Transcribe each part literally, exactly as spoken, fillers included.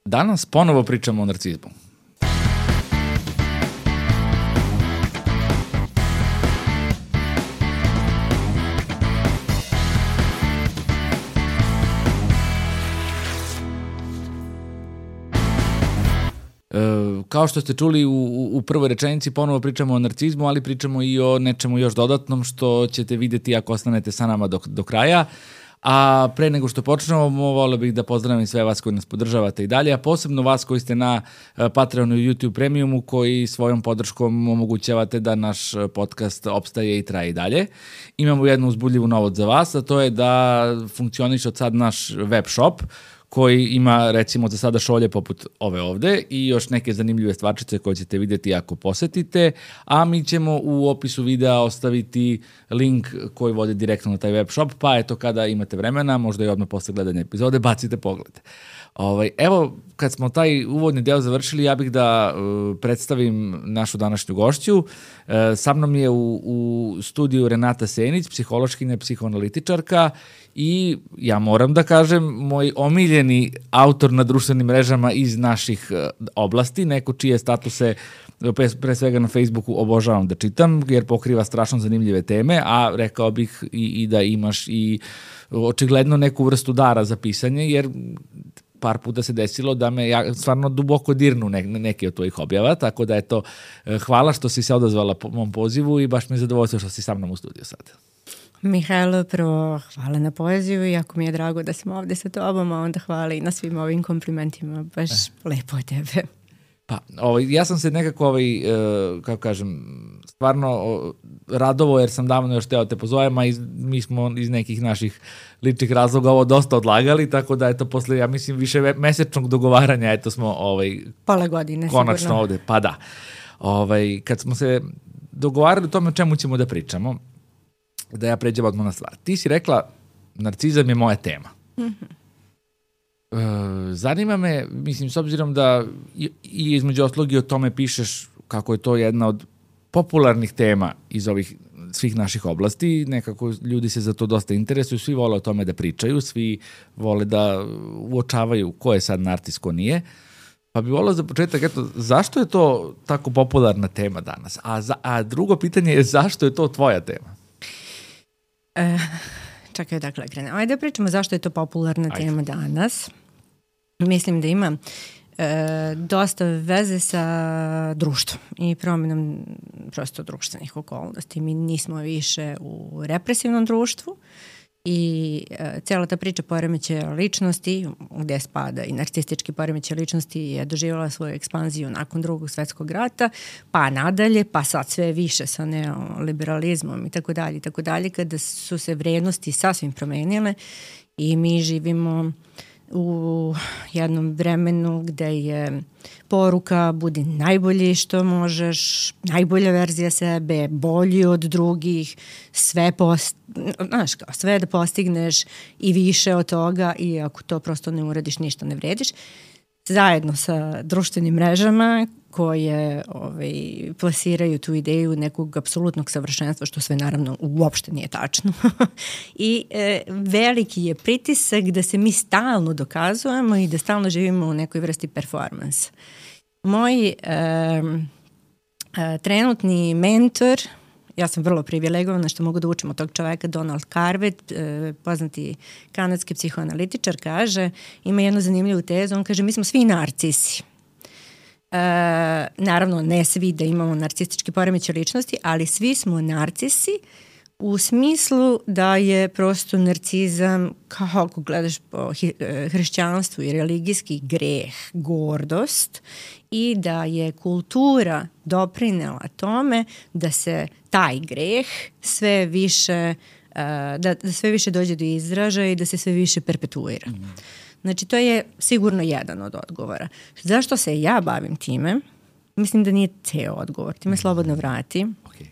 Danas ponovo pričamo o narcizmu. Kao što ste čuli u, u prvoj rečenici, ponovo pričamo o narcizmu, ali pričamo i o nečemu još dodatnom što ćete vidjeti ako ostanete sa nama do, do kraja. A pre nego što počnemo, volio bih da pozdravim sve vas koji nas podržavate i dalje, a posebno vas koji ste na Patreonu i YouTube Premiumu, koji svojom podrškom omogućavate da naš podcast opstaje i traje i dalje. Imamo jednu uzbudljivu novost za vas, a to je da funkcioniše od sad naš web shop, koji ima, recimo, za sada šolje poput ove ovde i još neke zanimljive stvarčice koje ćete vidjeti ako posetite, a mi ćemo u opisu videa ostaviti link koji vodi direktno na taj web shop, pa eto, kada imate vremena, možda i odmah posle gledanja epizode, bacite pogled. Ovaj, evo, kad smo taj uvodni deo završili, ja bih da uh, predstavim našu današnju gošću. Uh, sa mnom je u, u studiju Renata Senić, psihološkinja, psihoanalitičarka i ja moram da kažem, moj omiljeni autor na društvenim mrežama iz naših uh, oblasti, neko čije statuse pre, pre svega na Facebooku obožavam da čitam, jer pokriva strašno zanimljive teme, a rekao bih i, i da imaš i očigledno neku vrstu dara za pisanje, jer par puta se desilo da me ja stvarno duboko dirnu ne, neke od tvojih objava, tako da eto, hvala što si se odazvala po mom pozivu i baš mi je zadovoljstvo što si sa mnom u studiju sad. Mihajlo, prvo hvala na pozivu i jako mi je drago da sam ovde sa tobom, a onda hvala i na svim ovim komplimentima, baš eh. lepo od tebe. Pa, ovaj, ja sam se nekako, ovaj, uh, kako kažem, stvarno uh, radovo jer sam davno još teo te pozovem, a iz, mi smo iz nekih naših ličnih razloga ovo dosta odlagali, tako da eto posle, ja mislim, više mesečnog dogovaranja, eto smo ovaj, pola godine konačno sigurno ovde, pa da. Ovaj, kad smo se dogovarali o tome o čemu ćemo da pričamo, da ja pređem odmah na stvar. Ti si rekla, narcizam je moja tema. Mhm. Uh, zanima me, mislim, s obzirom da i, i između ostalog i o tome pišeš kako je to jedna od popularnih tema iz ovih svih naših oblasti, nekako ljudi se za to dosta interesuju, svi vole o tome da pričaju, svi vole da uočavaju ko je sad narcis, ko nije, pa bi volio za početak, eto, zašto je to tako popularna tema danas? A, za, a drugo pitanje je zašto je to tvoja tema? E... Čakaj, dakle, krenemo. Ajde da pričamo zašto je to popularna Ajde. tema danas. Mislim da ima e, dosta veze sa društvom i promjenom prosto društvenih okolnosti. Mi nismo više u represivnom društvu i e, cijela ta priča poremećaja ličnosti, gde spada i narcistički poremećaj ličnosti, je doživjela svoju ekspanziju nakon drugog svjetskog rata, pa nadalje, pa sad sve više sa neoliberalizmom i tako dalje i tako dalje, kada su se vrijednosti sasvim promenile i mi živimo u jednom vremenu gde je poruka budi najbolji što možeš, najbolja verzija sebe, bolji od drugih, sve post, znaš kao, sve da postigneš i više od toga i ako to prosto ne uradiš ništa ne vrediš. Zajedno sa društvenim mrežama koje ovaj, plasiraju tu ideju nekog apsolutnog savršenstva, što sve naravno uopšte nije tačno. I e, veliki je pritisak da se mi stalno dokazujemo i da stalno živimo u nekoj vrsti performansa. Moj e, e, trenutni mentor, ja sam vrlo privilegovana što mogu da učim od tog čoveka, Donald Carvet, eh, poznati kanadski psihoanalitičar, kaže, ima jednu zanimljivu tezu, on kaže mi smo svi narcisi. E, naravno, ne svi da imamo narcistički poremećaj ličnosti, ali svi smo narcisi u smislu da je prosto narcizam, kao ako gledaš po hrišćanstvu i religijski greh, gordost, i da je kultura doprinela tome da se taj greh sve više, da, da sve više dođe do izražaja i da se sve više perpetuira. Mm. Znači, to je sigurno jedan od odgovora. Zašto se ja bavim time? Mislim da nije ceo odgovor. Ti me slobodno vrati. Okay.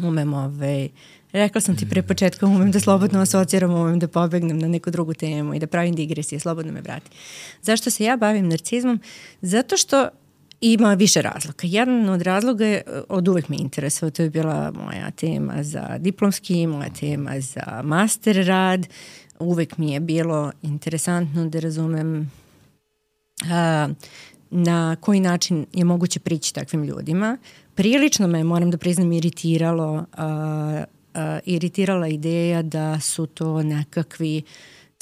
Umem ovaj... Rekla sam ti pre početka, umem da slobodno asociram, umem da pobegnem na neku drugu temu i da pravim digresije, slobodno me vrati. Zašto se ja bavim narcizmom? Zato što ima više razloga. Jedan od razloga je, od uvek me interesuje, to je bila moja tema za diplomski, moja tema za master rad. Uvek mi je bilo interesantno da razumem a, na koji način je moguće prići takvim ljudima. Prilično me, moram da priznam, iritiralo, a, a, iritirala ideja da su to nekakvi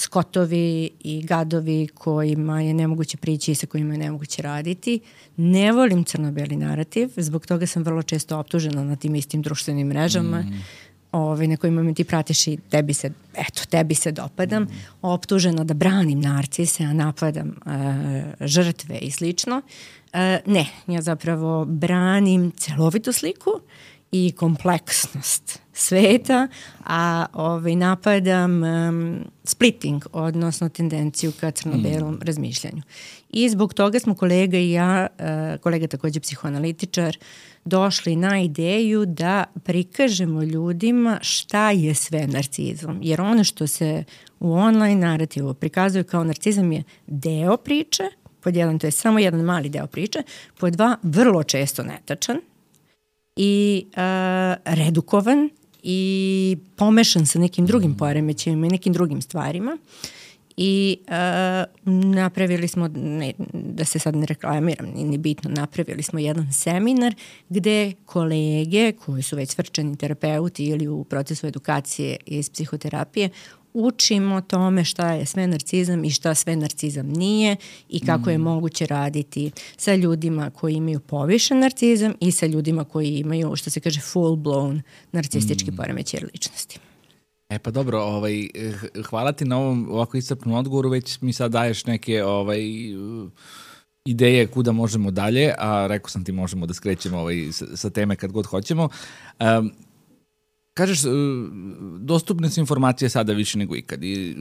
skotovi i gadovi kojima je nemoguće prići i sa kojima je nemoguće raditi. Ne volim crno-beli narativ, zbog toga sam vrlo često optužena na tim istim društvenim mrežama, mm. Ove, na kojima me ti pratiš i tebi se, eto, tebi se dopadam, mm. optužena da branim narcise, a napadam uh, žrtve i slično. Uh, ne, ja zapravo branim celovitu sliku i kompleksnost sveta, a ovaj, napadam um, splitting, odnosno tendenciju ka crno-belom mm. razmišljanju. I zbog toga smo kolega i ja, uh, kolega takođe psihoanalitičar, došli na ideju da prikažemo ljudima šta je sve narcizam. Jer ono što se u online narativu prikazuje kao narcizam je deo priče, pod jedan, to je samo jedan mali deo priče, pod dva, vrlo često netačan i uh, redukovan i pomešan sa nekim drugim poremećajima i nekim drugim stvarima. I uh, napravili smo, ne, da se sad ne reklamiram, ni bitno, napravili smo jedan seminar gde kolege koji su već svrčani terapeuti ili u procesu edukacije iz psihoterapije učimo tome šta je sve narcizam i šta sve narcizam nije i kako mm. je moguće raditi sa ljudima koji imaju povišen narcizam i sa ljudima koji imaju, što se kaže, full blown narcistički mm. poremećaj ličnosti. E pa dobro, ovaj, hvala ti na ovom ovako iscrpnom odgovoru, već mi sad daješ neke ovaj, ideje kuda možemo dalje, a rekao sam ti možemo da skrećemo ovaj, sa, sa teme kad god hoćemo. Um, kažeš, dostupne su informacije sada više nego ikad i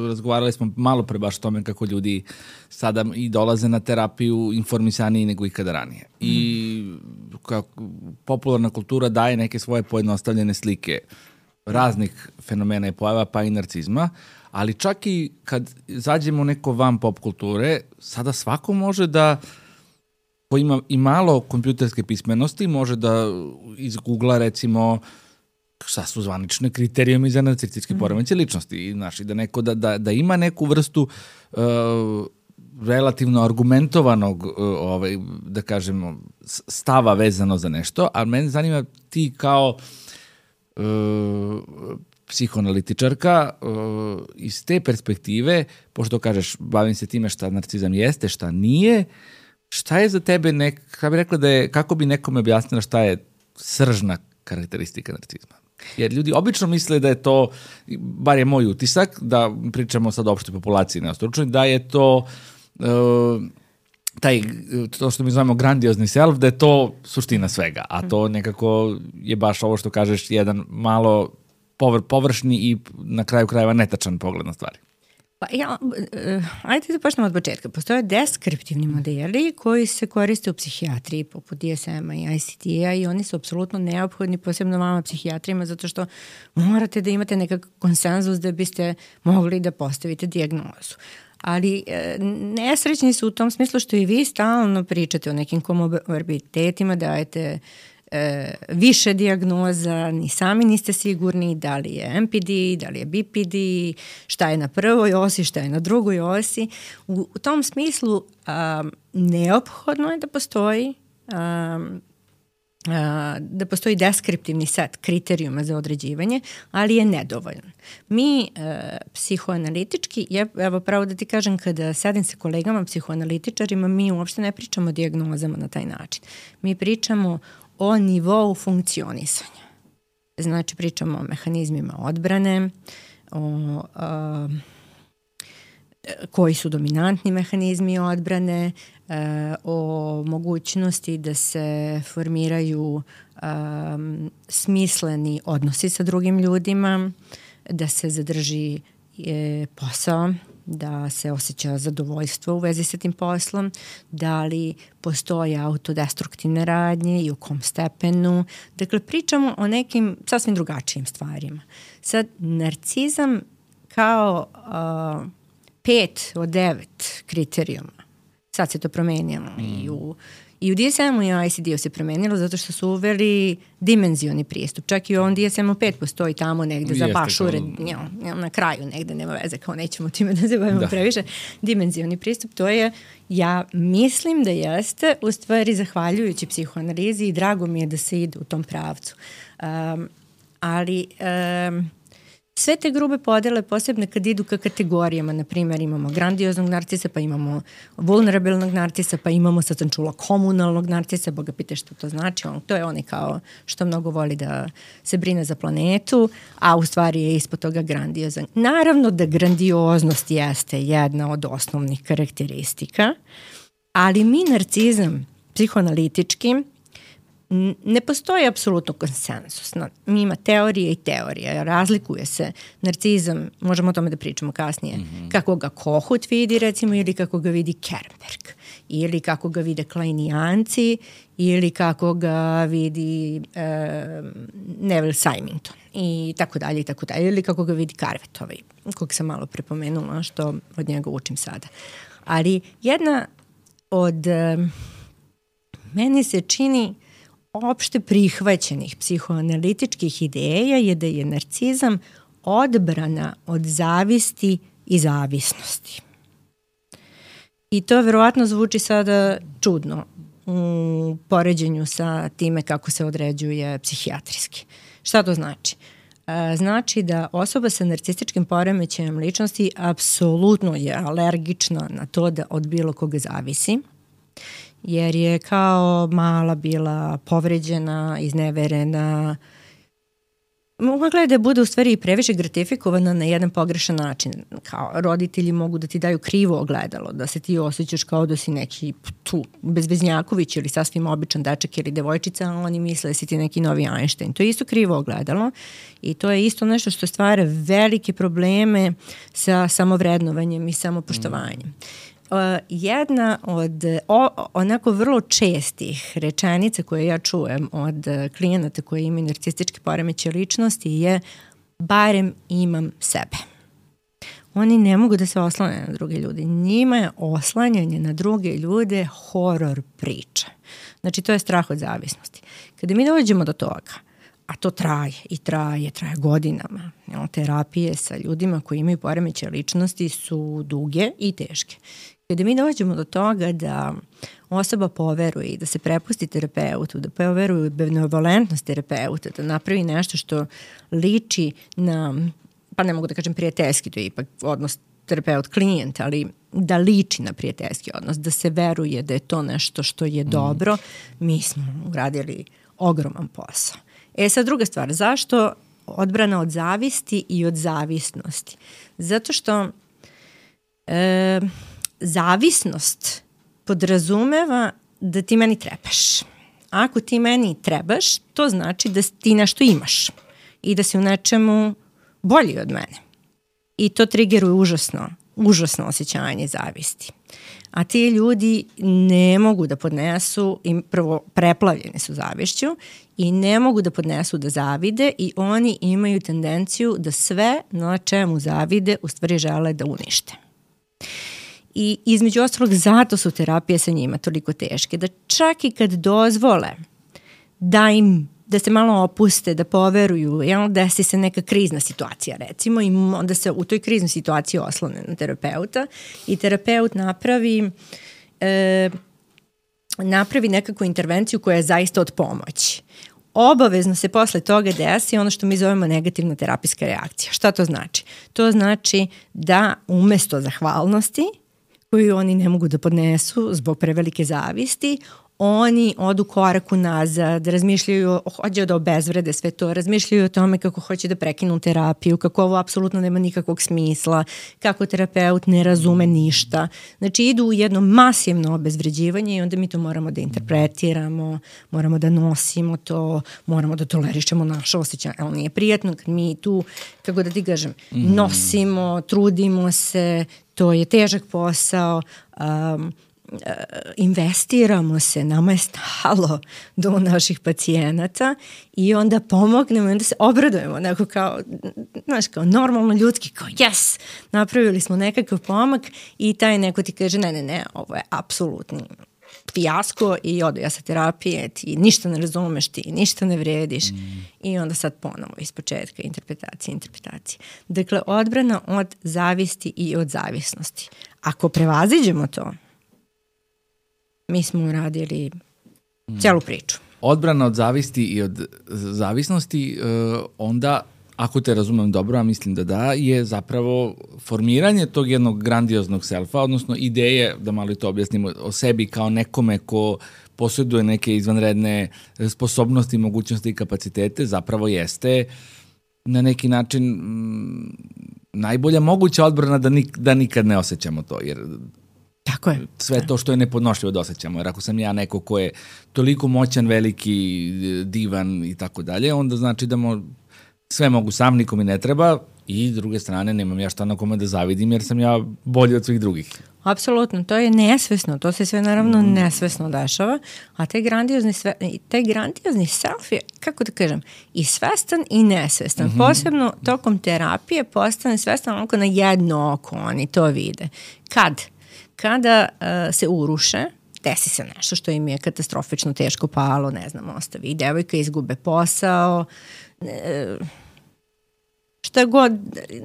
razgovarali smo malo pre baš o tome kako ljudi sada i dolaze na terapiju informisaniji nego ikada ranije. Mm. I kako popularna kultura daje neke svoje pojednostavljene slike raznih fenomena i pojava, pa i narcizma, ali čak i kad zađemo u neko van pop kulture, sada svako može da, ko ima i malo kompjuterske pismenosti, može da iz Google-a recimo šta su zvanične kriterijumi za narcističke poremećaje ličnosti i znači da neko da, da, da ima neku vrstu uh, relativno argumentovanog uh, ovaj, da kažemo stava vezano za nešto, a mene zanima ti kao Uh, psihoanalitičarka uh, iz te perspektive, pošto kažeš bavim se time šta narcizam jeste, šta nije, šta je za tebe nek, kako bi rekla da je, kako bi nekome objasnila šta je sržna karakteristika narcizma? Jer ljudi obično misle da je to, bar je moj utisak, da pričamo sad o opštoj populaciji neostručnoj, da je to uh, taj, to što mi zovemo grandiozni self, da je to suština svega, a to nekako je baš ovo što kažeš, jedan malo povr, površni i na kraju krajeva netačan pogled na stvari. Pa ja, uh, ajde da počnemo od početka. Postoje deskriptivni modeli koji se koriste u psihijatriji poput D S M-a i I C T-a i oni su apsolutno neophodni, posebno vama psihijatrima, zato što morate da imate nekakav konsenzus da biste mogli da postavite dijagnozu. Ali e, nesrećni su u tom smislu što i vi stalno pričate o nekim komorbiditetima, dajete e, više dijagnoza, ni sami niste sigurni da li je M P D, da li je B P D, šta je na prvoj osi, šta je na drugoj osi. U, u tom smislu a, neophodno je da postoji a, da postoji deskriptivni set kriterijuma za određivanje, ali je nedovoljan. Mi e, psihoanalitički, je, evo pravo da ti kažem, kada sedim sa kolegama psihoanalitičarima, mi uopšte ne pričamo o dijagnozama na taj način. Mi pričamo o nivou funkcionisanja. Znači pričamo o mehanizmima odbrane, o a, koji su dominantni mehanizmi odbrane, e, o mogućnosti da se formiraju um, smisleni odnosi sa drugim ljudima, da se zadrži e, posao, da se osjeća zadovoljstvo u vezi sa tim poslom, da li postoje autodestruktivne radnje i u kom stepenu. Dakle, pričamo o nekim sasvim drugačijim stvarima. Sad, narcizam kao uh, pet od devet kriterijuma Sad se to promenilo mm. i u I u D S M-u i I C D-u se promenilo zato što su uveli dimenzioni pristup. Čak i u ovom D S M-u pet postoji tamo negde za baš ured, kao... na kraju negde, nema veze, kao nećemo time da se bavimo da. previše. Dimenzioni pristup, to je, ja mislim da jeste, u stvari zahvaljujući psihoanalizi i drago mi je da se ide u tom pravcu. Um, ali... Um, Sve te grube podele, posebno kad idu ka kategorijama, na primjer imamo grandioznog narcisa, pa imamo vulnerabilnog narcisa, pa imamo, sad sam čula, komunalnog narcisa, boga pite što to znači, on, to je onaj kao što mnogo voli da se brine za planetu, a u stvari je ispod toga grandiozan. Naravno da grandioznost jeste jedna od osnovnih karakteristika, ali mi narcizam psihoanalitički ne postoji apsolutno konsensus. Mi ima teorije i teorije. Razlikuje se narcizam, možemo o tome da pričamo kasnije, mm-hmm. kako ga Kohut vidi recimo ili kako ga vidi Kernberg ili kako ga vide Kleinijanci ili kako ga vidi e, Neville Symington i tako dalje i tako dalje ili kako ga vidi Carvet ovaj, kog sam malo prepomenula što od njega učim sada. Ali jedna od e, meni se čini opšte prihvaćenih psihoanalitičkih ideja je da je narcizam odbrana od zavisti i zavisnosti. I to verovatno zvuči sada čudno u poređenju sa time kako se određuje psihijatrijski. Šta to znači? Znači da osoba sa narcističkim poremećajem ličnosti apsolutno je alergična na to da od bilo koga zavisi, jer je kao mala bila povređena, izneverena. Mogla je da bude u stvari i previše gratifikovana na jedan pogrešan način. Kao roditelji mogu da ti daju krivo ogledalo, da se ti osjećaš kao da si neki tu bezveznjaković ili sasvim običan dečak ili devojčica, a oni misle da si ti neki novi Einstein. To je isto krivo ogledalo i to je isto nešto što stvara velike probleme sa samovrednovanjem i samopoštovanjem. Mm. Uh, jedna od o, onako vrlo čestih rečenica koje ja čujem od klijenata koji imaju narcistički poremećaj ličnosti je barem imam sebe. Oni ne mogu da se oslane na druge ljude. Njima je oslanjanje na druge ljude horor priča. Znači to je strah od zavisnosti. Kada mi dođemo do toga, a to traje i traje, traje godinama. Terapije sa ljudima koji imaju poremećaj ličnosti su duge i teške. Kada mi dođemo do toga da osoba poveruje i da se prepusti terapeutu, da poveruje u benevolentnost terapeuta, da napravi nešto što liči na, pa ne mogu da kažem prijateljski, to je ipak odnos terapeut-klijent, ali da liči na prijateljski odnos, da se veruje da je to nešto što je dobro, mi smo uradili ogroman posao. E sad druga stvar, zašto odbrana od zavisti i od zavisnosti? Zato što e, zavisnost podrazumeva da ti meni trebaš. Ako ti meni trebaš, to znači da ti nešto imaš i da si u nečemu bolji od mene. I to triggeruje užasno, užasno osjećanje zavisti. A ti ljudi ne mogu da podnesu, im prvo preplavljeni su zavišću i ne mogu da podnesu da zavide i oni imaju tendenciju da sve na čemu zavide u stvari žele da unište. I između ostalog zato su terapije sa njima toliko teške, da čak i kad dozvole da im, da se malo opuste, da poveruju, jel, desi se neka krizna situacija recimo i onda se u toj kriznoj situaciji oslone na terapeuta i terapeut napravi e, napravi nekakvu intervenciju koja je zaista od pomoći. Obavezno se posle toga desi ono što mi zovemo negativna terapijska reakcija. Šta to znači? To znači da umesto zahvalnosti koju oni ne mogu da podnesu zbog prevelike zavisti, oni odu koraku nazad, razmišljaju, hoće da obezvrede sve to, razmišljaju o tome kako hoće da prekinu terapiju, kako ovo apsolutno nema nikakvog smisla, kako terapeut ne razume ništa. Znači idu u jedno masivno obezvređivanje i onda mi to moramo da interpretiramo, moramo da nosimo to, moramo da tolerišemo naše osjećanje. Ali nije prijatno kad mi tu, kako da ti kažem, nosimo, trudimo se, to je težak posao, um, investiramo se, nama je stalo do naših pacijenata i onda pomognemo i onda se obradujemo neko kao, znaš, kao normalno ljudski, kao yes, napravili smo nekakav pomak i taj neko ti kaže ne, ne, ne, ovo je apsolutni fijasko i odo ja sa terapije, ti ništa ne razumeš, ti ništa ne vrediš mm. i onda sad ponovo iz početka interpretacije, interpretacije. Dakle, odbrana od zavisti i od zavisnosti. Ako prevaziđemo to, mi smo uradili mm. celu priču. Odbrana od zavisti i od zavisnosti, uh, onda, ako te razumem dobro, a mislim da da, je zapravo formiranje tog jednog grandioznog selfa, odnosno ideje, da malo to objasnimo, o sebi kao nekome ko posjeduje neke izvanredne sposobnosti, mogućnosti i kapacitete, zapravo jeste na neki način m, najbolja moguća odbrana da, nik, da nikad ne osjećamo to, jer tako je. Sve to što je nepodnošljivo da osjećamo, jer ako sam ja neko ko je toliko moćan, veliki, divan i tako dalje, onda znači da mo, sve mogu sam, nikom mi ne treba i s druge strane nemam ja šta na kome da zavidim jer sam ja bolji od svih drugih. Apsolutno, to je nesvesno, to se sve naravno mm. nesvesno dešava, a taj grandiozni, sve, taj grandiozni self je, kako da kažem, i svestan i nesvestan. Mm-hmm. Posebno tokom terapije postane svestan onako na jedno oko, oni to vide. Kad? Kada uh, se uruše, desi se nešto što im je katastrofično teško palo, ne znam, ostavi i devojka, izgube posao, e, šta god,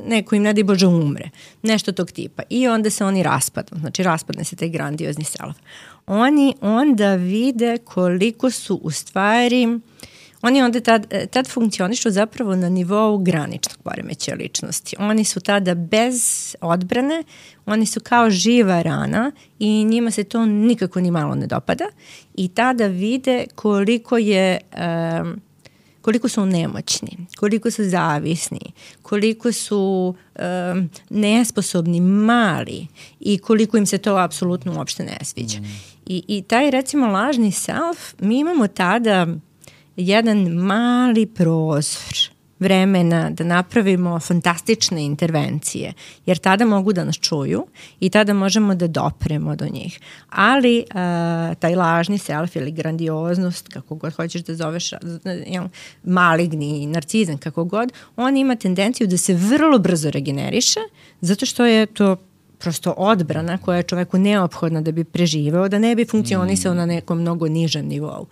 neko im ne daj Bože umre, nešto tog tipa. I onda se oni raspadnu, znači raspadne se taj grandiozni self. Oni onda vide koliko su u stvari, oni onda tad, tad funkcionišu zapravo na nivou graničnog poremećaja ličnosti. Oni su tada bez odbrane, oni su kao živa rana i njima se to nikako ni malo ne dopada i tada vide koliko je... Um, koliko su nemoćni, koliko su zavisni, koliko su um, nesposobni, mali i koliko im se to apsolutno uopšte ne sviđa. Mm. I, I taj recimo lažni self, mi imamo tada jedan mali prozor vremena da napravimo fantastične intervencije, jer tada mogu da nas čuju i tada možemo da dopremo do njih. Ali uh, taj lažni self ili grandioznost, kako god hoćeš da zoveš, maligni narcizam, kako god, on ima tendenciju da se vrlo brzo regeneriše, zato što je to prosto odbrana koja je čoveku neophodna da bi preživeo, da ne bi funkcionisao mm. na nekom mnogo nižem nivou.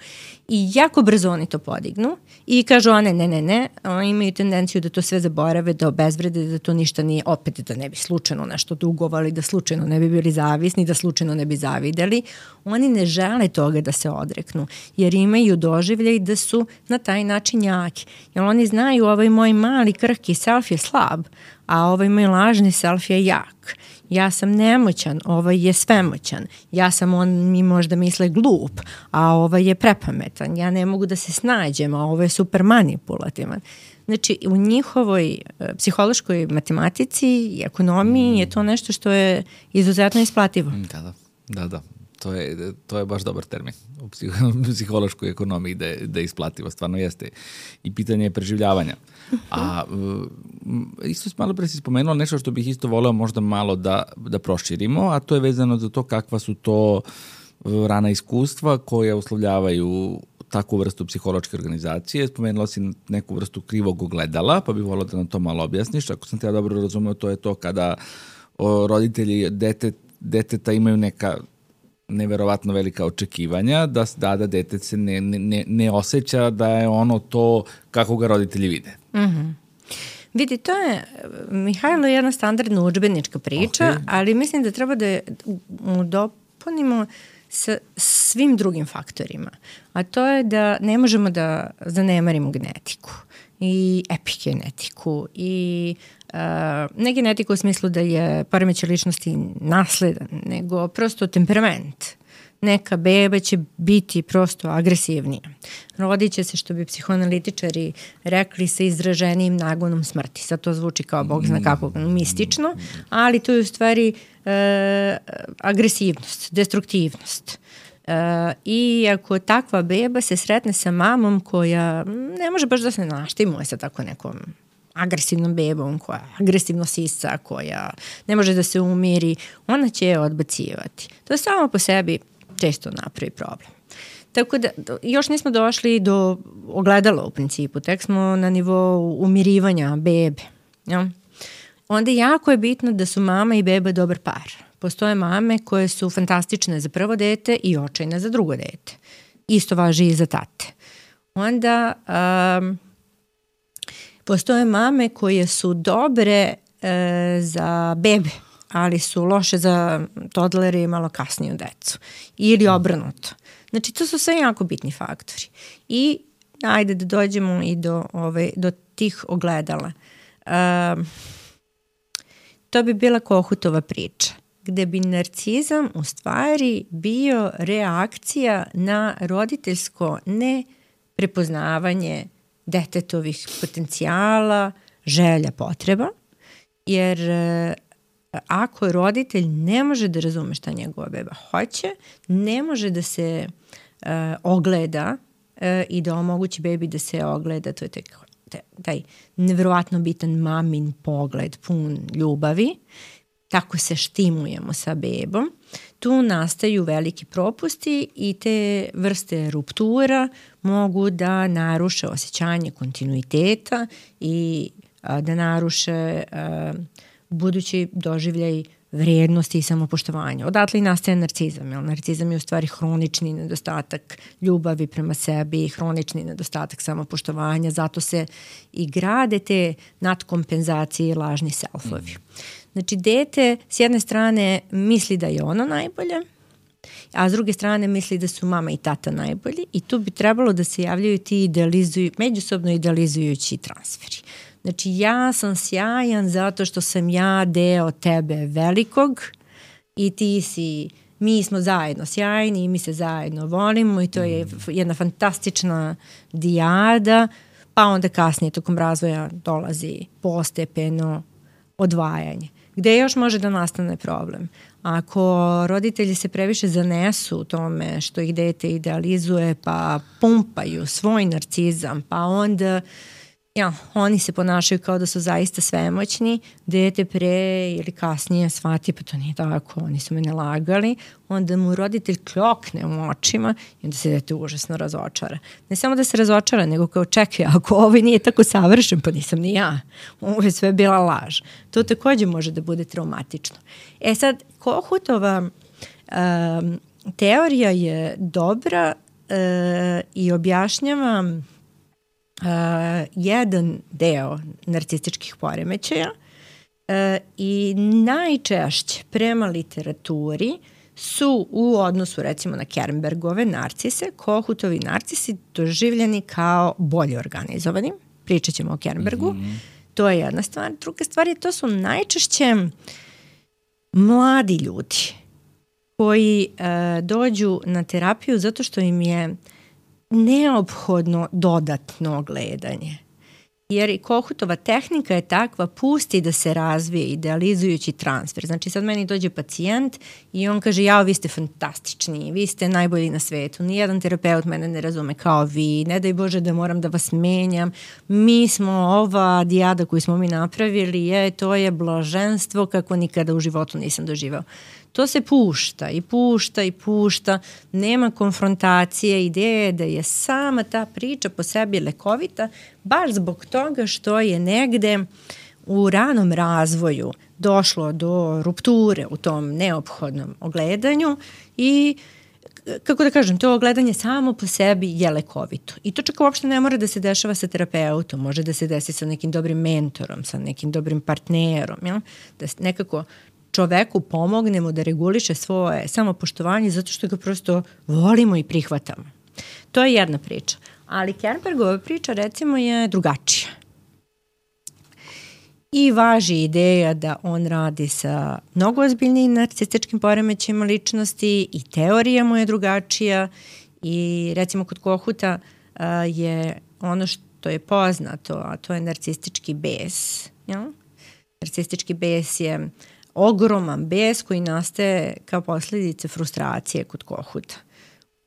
I jako brzo oni to podignu i kažu one ne, ne, ne, oni imaju tendenciju da to sve zaborave, da obezvrede, da to ništa nije, opet da ne bi slučajno nešto dugovali, da slučajno ne bi bili zavisni, da slučajno ne bi zavideli. Oni ne žele toga da se odreknu, jer imaju doživljaj da su na taj način jaki. Jer oni znaju ovaj moj mali krhki self je slab, a ovaj moj lažni self je jak. Ja sam nemoćan, ovaj je svemoćan. Ja sam, on mi možda misle glup, a ovaj je prepametan. Ja ne mogu da se snađem, a ovaj je super manipulativan. Znači, u njihovoj uh, psihološkoj matematici i ekonomiji mm. je to nešto što je izuzetno isplativo. Da, da, da, da. To je, to je baš dobar termin u psihološkoj ekonomiji da je, da je isplativo, stvarno jeste. I pitanje je preživljavanja. A isto malo pre si spomenula nešto što bih isto voleo možda malo da, da proširimo, a to je vezano za to kakva su to rana iskustva koja uslovljavaju takvu vrstu psihološke organizacije. Spomenula si neku vrstu krivog ogledala, pa bih voleo da nam to malo objasniš. Ako sam te ja dobro razumeo, to je to kada o, roditelji dete, deteta imaju neka neverovatno velika očekivanja, da, da, da dete se ne, ne, ne osjeća da je ono to kako ga roditelji vide. Mm-hmm. Vidi, to je, Mihajlo, jedna standardna udžbenička priča, okay. ali mislim da treba da je mu dopunimo sa svim drugim faktorima. A to je da ne možemo da zanemarimo genetiku i epigenetiku i uh, ne genetiku u smislu da je poremećaj ličnosti nasledan, nego prosto temperament. Neka beba će biti prosto agresivnija. Rodit će se, što bi psihoanalitičari rekli, sa izraženijim nagonom smrti. Sad to zvuči kao bog zna kako mistično, ali to je u stvari uh, agresivnost, destruktivnost. Uh, I ako takva beba se sretne sa mamom koja ne može baš da se naštimuje sa tako nekom agresivnom bebom, koja agresivno sisa, koja ne može da se umiri, ona će je odbacivati. To samo po sebi često napravi problem. Tako da još nismo došli do ogledala u principu, tek smo na nivou umirivanja bebe. Ja? Onda jako je bitno da su mama i beba dobar par. Postoje mame koje su fantastične za prvo dete i očajne za drugo dete. Isto važi i za tate. Onda um, postoje mame koje su dobre uh, za bebe, ali su loše za toddlere i malo kasniju decu. Ili obrnuto. Znači, to su sve jako bitni faktori. I ajde da dođemo i do, ove, do tih ogledala. Um, to bi bila Kohutova priča, gde bi narcizam u stvari bio reakcija na roditeljsko neprepoznavanje detetovih potencijala, želja, potreba, jer ako roditelj ne može da razume šta njegova beba hoće, ne može da se uh, ogleda uh, i da omogući bebi da se ogleda, to je taj, taj nevjerovatno bitan mamin pogled, pun ljubavi, tako se štimujemo sa bebom, tu nastaju veliki propusti i te vrste ruptura mogu da naruše osjećanje kontinuiteta i a, da naruše a, budući doživljaj vrijednosti i samopoštovanja. Odatle i nastaje narcizam. Jer narcizam je u stvari hronični nedostatak ljubavi prema sebi, hronični nedostatak samopoštovanja, zato se i grade te nadkompenzacije i lažni selfovi. Znači, dete s jedne strane misli da je ono najbolje, a s druge strane misli da su mama i tata najbolji i tu bi trebalo da se javljaju ti idealizuju, međusobno idealizujući transferi. Znači, ja sam sjajan zato što sam ja deo tebe velikog i ti si, mi smo zajedno sjajni i mi se zajedno volimo i to je jedna fantastična dijada, pa onda kasnije tokom razvoja dolazi postepeno odvajanje. Gde još može da nastane problem? Ako roditelji se previše zanesu u tome što ih dete idealizuje pa pumpaju svoj narcizam, pa onda ja, oni se ponašaju kao da su zaista svemoćni, dete pre ili kasnije shvati pa to nije tako, oni su mene lagali, onda mu roditelj kljokne u očima i onda se dete užasno razočara. Ne samo da se razočara, nego kao čekaj, ako ovaj nije tako savršen, pa nisam ni ja. Ovo je sve bila laž. To takođe može da bude traumatično. E sad, Kohutova um, teorija je dobra uh, i objašnjava Uh, jedan deo narcističkih poremećaja uh, i najčešće prema literaturi su u odnosu recimo na Kernbergove narcise, Kohutovi narcisi doživljeni kao bolje organizovani. Pričat ćemo o Kernbergu. Mm-hmm. To je jedna stvar. Druga stvar je to su najčešće mladi ljudi koji uh, dođu na terapiju zato što im je neophodno dodatno gledanje. Jer i Kohutova tehnika je takva, pusti da se razvije idealizujući transfer. Znači sad meni dođe pacijent i on kaže jao vi ste fantastični, vi ste najbolji na svetu, nijedan terapeut mene ne razume kao vi, ne daj Bože da moram da vas menjam, mi smo ova dijada koju smo mi napravili, je, to je blaženstvo kako nikada u životu nisam doživao. To se pušta i pušta i pušta, nema konfrontacije, ideje da je sama ta priča po sebi lekovita, baš zbog toga što je negde u ranom razvoju došlo do rupture u tom neophodnom ogledanju i kako da kažem, to ogledanje samo po sebi je lekovito. I to čak uopšte ne mora da se dešava sa terapeutom, može da se desi sa nekim dobrim mentorom, sa nekim dobrim partnerom, ja? Da nekako čoveku pomognemo da reguliše svoje samopoštovanje zato što ga prosto volimo i prihvatamo. To je jedna priča. Ali Kernbergova priča recimo je drugačija. I važi ideja da on radi sa mnogo ozbiljnijim narcističkim poremećajima ličnosti i teorija mu je drugačija i recimo kod Kohuta uh, je ono što je poznato, a to je narcistički bes. Ja? Narcistički bes je ogroman bes koji nastaje kao posljedice frustracije kod Kohuta.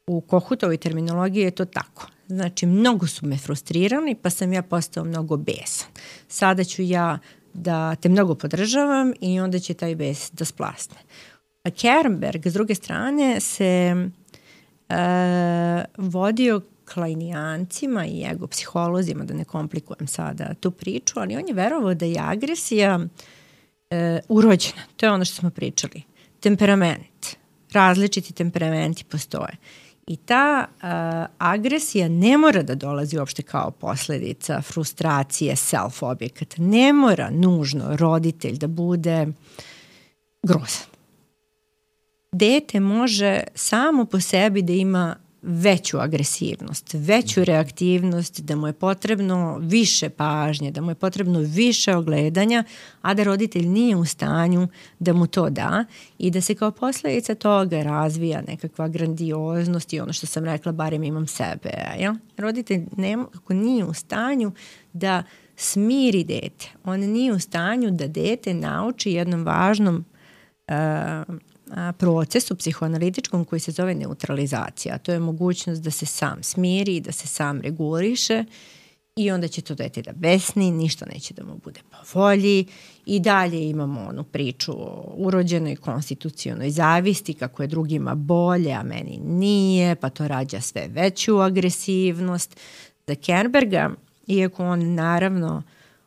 U Kohutovoj terminologiji je to tako. Znači, mnogo su me frustrirani, pa sam ja postao mnogo besan. Sada ću ja da te mnogo podržavam i onda će taj bes da splasne. A Kernberg, s druge strane, se uh, vodio klajnijancima i ego psiholozima, da ne komplikujem sada tu priču, ali on je verovao da je agresija uh, urođena. To je ono što smo pričali. Temperament. Različiti temperamenti postoje. I ta uh, agresija ne mora da dolazi uopšte kao posledica frustracije self-objekata. Ne mora nužno roditelj da bude grozan. Dete može samo po sebi da ima veću agresivnost, veću reaktivnost, da mu je potrebno više pažnje, da mu je potrebno više ogledanja, a da roditelj nije u stanju da mu to da i da se kao posledica toga razvija nekakva grandioznost i ono što sam rekla, barem imam sebe. Ja? Roditelj nema, kako nije u stanju da smiri dete. On nije u stanju da dete nauči jednom važnom uh, procesu psihoanalitičkom koji se zove neutralizacija. To je mogućnost da se sam smiri, da se sam reguliše i onda će to dete da besni, ništa neće da mu bude po volji i dalje imamo onu priču o urođenoj konstitucionoj zavisti, kako je drugima bolje, a meni nije, pa to rađa sve veću agresivnost. Za Kernberga, iako on naravno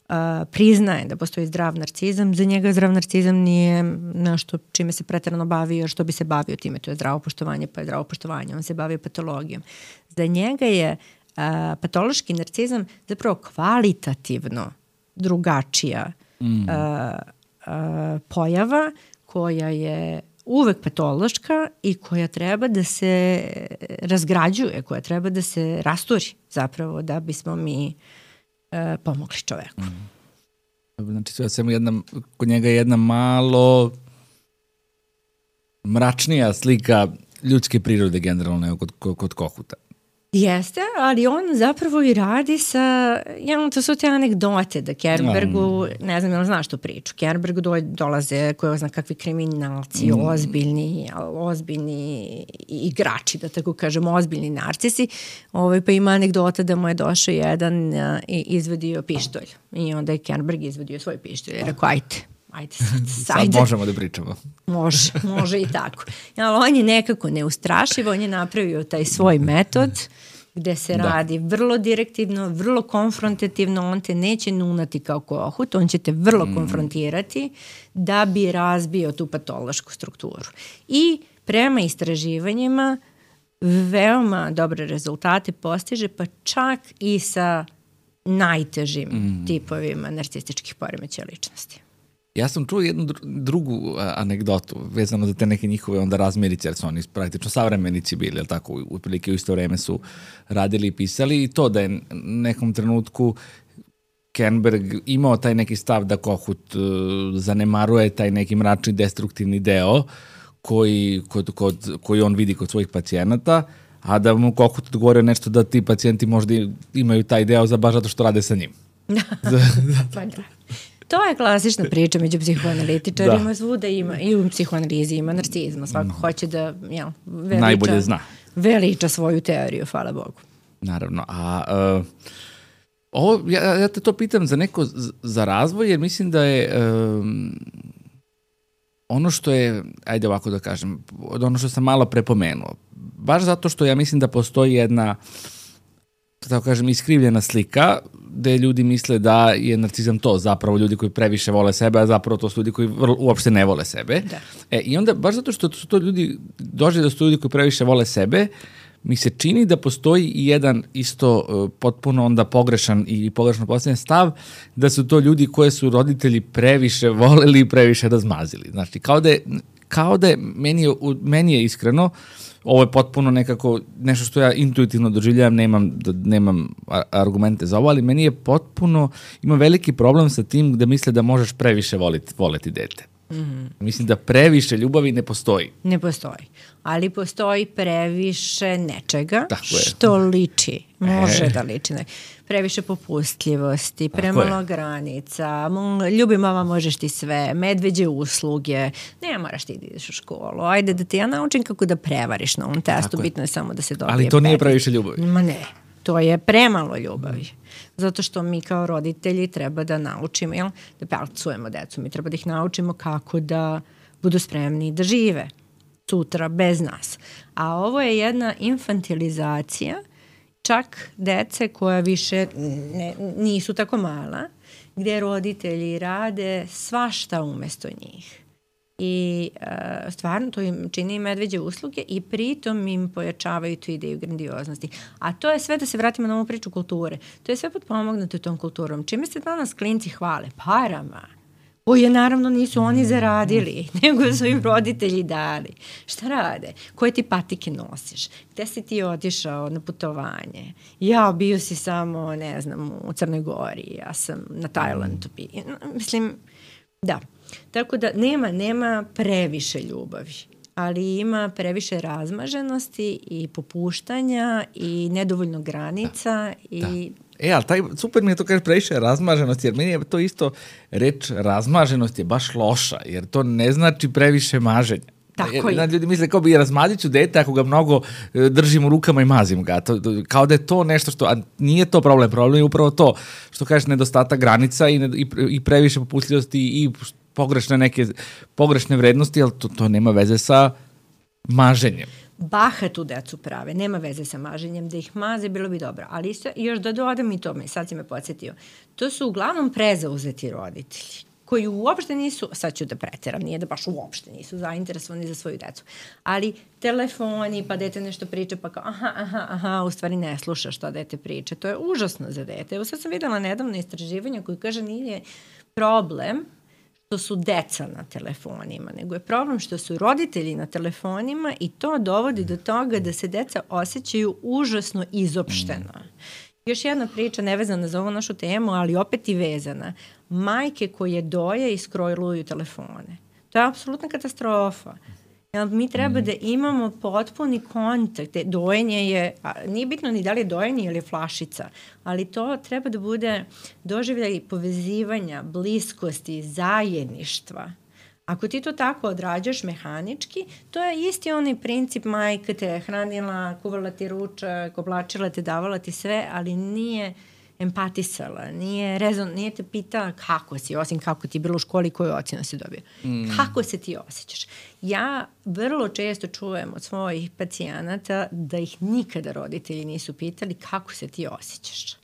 Uh, priznaje da postoji zdrav narcizam, za njega zdrav narcizam nije nešto čime se preterano bavio, što bi se bavio time, to je zdravo poštovanje, pa je zdravo poštovanje, on se bavio patologijom. Za njega je uh, patološki narcizam zapravo kvalitativno drugačija mm. uh, uh, pojava koja je uvek patološka i koja treba da se razgrađuje, koja treba da se rasturi zapravo da bismo mi pomogli čoveku. Mm. Znači, sve samo jedna, kod njega je jedna malo mračnija slika ljudske prirode generalno nego kod, kod, kod Kohuta. Jeste, ali on zapravo i radi sa, ja, to su te anegdote da Kernbergu, mm. ne znam je li znaš tu priču, Kernbergu do, dolaze koje zna kakvi kriminalci, mm. ozbiljni, ozbiljni igrači, da tako kažemo, ozbiljni narcisi, ovaj, pa ima anegdota da mu je došao jedan a, i izvadio pištolj i onda je Kernberg izvadio svoj pištolj i rekao, ajte, ajde sad, sad možemo da pričamo. Može, može i tako. Ali on je nekako neustrašivo, on je napravio taj svoj metod gde se da. radi vrlo direktivno, vrlo konfrontativno, on te neće nunati kao Kohut, on će te vrlo mm. konfrontirati da bi razbio tu patološku strukturu. I prema istraživanjima veoma dobre rezultate postiže, pa čak i sa najtežim mm. tipovima narcističkih poremećaja ličnosti. Ja sam čuo jednu drugu a, anegdotu vezano za te neke njihove onda razmirice, jer su oni praktično savremenici bili, jel tako, otprilike u isto vreme su radili i pisali i to da je nekom trenutku Kernberg imao taj neki stav da Kohut uh, zanemaruje taj neki mračni destruktivni deo koji, kod, kod, koji on vidi kod svojih pacijenata, a da mu Kohut odgovorio nešto da ti pacijenti možda imaju taj deo za baš zato što rade sa njim. Pa da. To je klasična priča među psihoanalitičarima, da. Svuda ima, i u psihoanalizi ima narcizma, svako mm. hoće da jel, veliča, najbolje zna. Veliča svoju teoriju, hvala Bogu. Naravno, a uh, ovo, ja, ja te to pitam za neko, za razvoj, jer mislim da je um, ono što je, ajde ovako da kažem, od ono što sam malo prepomenuo, baš zato što ja mislim da postoji jedna, tako kažem, iskrivljena slika gde ljudi misle da je narcizam to zapravo ljudi koji previše vole sebe, a zapravo to su ljudi koji vrlo, uopšte ne vole sebe. Da. E, I onda, baš zato što su to ljudi, dođe da su to ljudi koji previše vole sebe, mi se čini da postoji i jedan isto uh, potpuno onda pogrešan i pogrešno postavljen stav da su to ljudi koje su roditelji previše voleli i previše razmazili. Znači, kao da je, kao da je meni, je, meni je iskreno, ovo je potpuno nekako nešto što ja intuitivno doživljavam, nemam, nemam argumente za ovo, ali meni je potpuno, ima veliki problem sa tim da misle da možeš previše voliti, voleti dete. Mm-hmm. Mislim da previše ljubavi ne postoji. Ne postoji, ali postoji previše nečega što liči, može e. da liči. Previše popustljivosti, premalo granica, ljubi mama, možeš ti sve, medveđe usluge, ne moraš ti da ideš u školu, ajde da ti ja naučim kako da prevariš na ovom testu, bitno je samo da se dobije. Ali to nije previše ljubavi. Ma ne. To je premalo ljubavi. Zato što mi kao roditelji treba da naučimo, jel? Da pelcujemo decu. Mi treba da ih naučimo kako da budu spremni da žive sutra bez nas. A ovo je jedna infantilizacija čak dece koja više ne, nisu tako mala, gde roditelji rade svašta umesto njih. I uh, stvarno to im čini medveđe usluge i pritom im pojačavaju tu ideju grandioznosti. A to je sve, da se vratimo na ovu priču kulture, to je sve potpomognuto tom kulturom. Čime se danas klinci hvale? Parama. Koje naravno nisu oni zaradili, nego su im roditelji dali. Šta rade? Koje ti patike nosiš? Gde si ti otišao na putovanje? Ja, bio si samo, ne znam, u Crnoj Gori, ja sam na Tajlandu. Mislim, da. Tako da nema, nema previše ljubavi, ali ima previše razmaženosti i popuštanja i nedovoljno granica. Da, i... da. E, ali taj, super mi je to kaže previše razmaženosti, jer meni je to isto reč razmaženost je baš loša, jer to ne znači previše maženja. Tako je. Ljudi misle kao bi razmazit ću dete ako ga mnogo držim u rukama i mazim ga. To, kao da je to nešto što, a nije to problem, problem je upravo to što kažeš nedostatak granica i, i, i previše popustljivosti i pogrešne neke pogrešne vrednosti, ali to, to nema veze sa maženjem. Bahatu decu prave, nema veze sa maženjem, da ih maze bilo bi dobro, ali isto, još da dodam i tome, sad si me podsjetio, to su uglavnom prezauzeti roditelji, koji uopšte nisu, sad ću da preteram, nije da baš uopšte nisu zainteresovani za svoju decu, ali telefoni, pa dete nešto priča, pa kao aha, aha, aha, u stvari ne sluša šta dete priča, to je užasno za dete. Evo sad sam videla nedavno istraživanje koji kaže nije problem što su deca na telefonima, nego je problem što su roditelji na telefonima i to dovodi do toga da se deca osjećaju užasno izopšteno. Još jedna priča nevezana za ovu našu temu, ali opet i vezana. Majke koje doje i skrojluju telefone. To je apsolutna katastrofa. Mi treba da imamo potpuni kontakt. Dojenje je, nije bitno ni da li je dojenje ili je flašica, ali to treba da bude doživljaj povezivanja, bliskosti, zajedništva. Ako ti to tako odrađaš mehanički, to je isti onaj princip majka te hranila, kuvala ti ručak, oblačila te, davala ti sve, ali nije empatisala, nije, rezon, nije te pitala kako si, osim kako ti je bilo u školi, koju ocjenu si dobio. Mm. Kako se ti osjećaš? Ja vrlo često čujem od svojih pacijenata da ih nikada roditelji nisu pitali kako se ti osjećaš.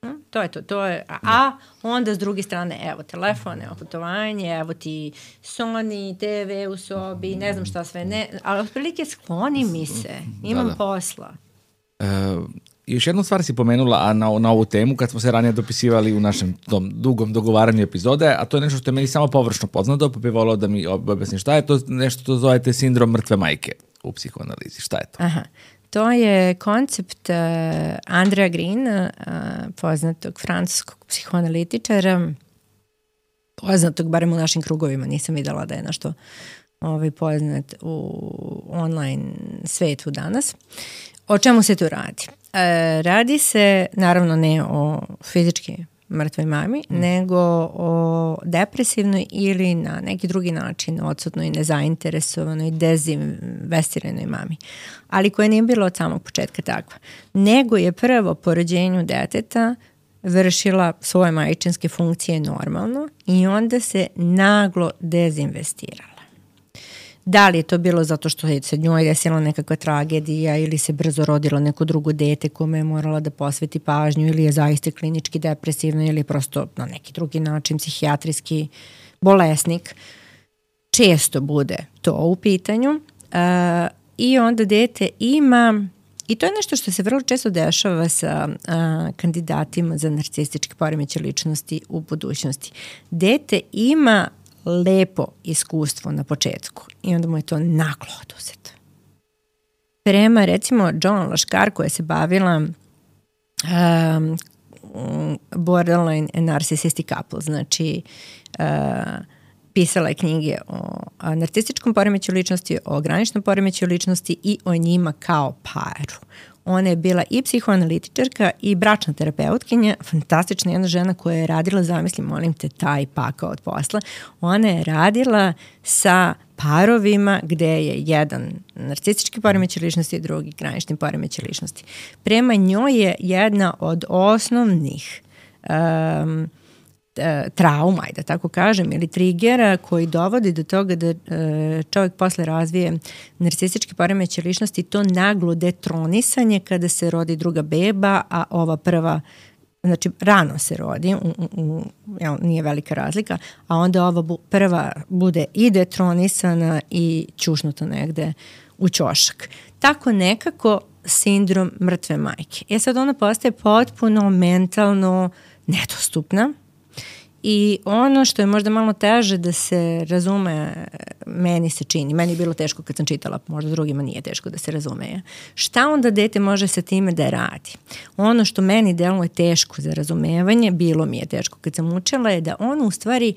Hm? To je to. to je, a, a onda s druge strane, evo telefon, evo putovanje, evo ti Sony, te ve u sobi, ne znam šta sve, ne, ali otprilike skloni mi se, imam da, da. posla. Uh, još jednu stvar si pomenula a na, na ovu temu kad smo se ranije dopisivali u našem tom dugom dogovaranju epizode, a to je nešto što je meni samo površno poznato, pa bih volao da mi objasniš šta je to, nešto što zovete sindrom mrtve majke u psihoanalizi, šta je to? Aha. To je koncept uh, Andrea Greena, uh, poznatog francuskog psihoanalitičara, poznatog barem u našim krugovima, nisam videla da je nešto ovaj, poznat u online svetu danas. O čemu se tu radi? E, radi se, naravno ne o fizički mrtvoj mami, mm. nego o depresivnoj ili na neki drugi način odsutnoj, nezainteresovanoj, dezinvestiranoj mami. Ali koja nije bila od samog početka takva. Nego je prvo po rođenju deteta vršila svoje majčinske funkcije normalno i onda se naglo dezinvestirala. Da li je to bilo zato što je se njoj desila nekakva tragedija ili se brzo rodilo neko drugo dete kome je morala da posveti pažnju ili je zaista klinički depresivna ili je prosto na neki drugi način psihijatrijski bolesnik. Često bude to u pitanju uh, i onda dete ima, i to je nešto što se vrlo često dešava sa uh, kandidatima za narcističke poremećaje ličnosti u budućnosti. Dete ima lepo iskustvo na početku i onda mu je to naglo oduzeto. Prema recimo Joan Laškar koja se bavila um, borderline and narcissistic couple, znači uh, pisala je knjige o narcističkom poremećaju ličnosti, o graničnom poremećaju ličnosti i o njima kao paru. Ona je bila i psihoanalitičarka i bračna terapeutkinja, fantastična jedna žena koja je radila, zamislim, molim te, taj pakao od posla. Ona je radila sa parovima gde je jedan narcistički poremećaj ličnosti i drugi granični poremećaj ličnosti. Prema njoj je jedna od osnovnih um, trauma, da tako kažem, ili trigera koji dovodi do toga da čovjek posle razvije narcistički poremećaj ličnosti, to naglo detronisanje kada se rodi druga beba, a ova prva, znači rano se rodi, u, u, jel, nije velika razlika, a onda ova bu, prva bude i detronisana i ćušnuta negde u ćošak. Tako nekako sindrom mrtve majke. E sad ona postaje potpuno mentalno nedostupna. I ono što je možda malo teže da se razume, meni se čini, meni je bilo teško kad sam čitala, možda drugima nije teško da se razume. Šta onda dete može sa time da radi? Ono što meni deluje teško za razumevanje, bilo mi je teško kad sam učila, je da ono u stvari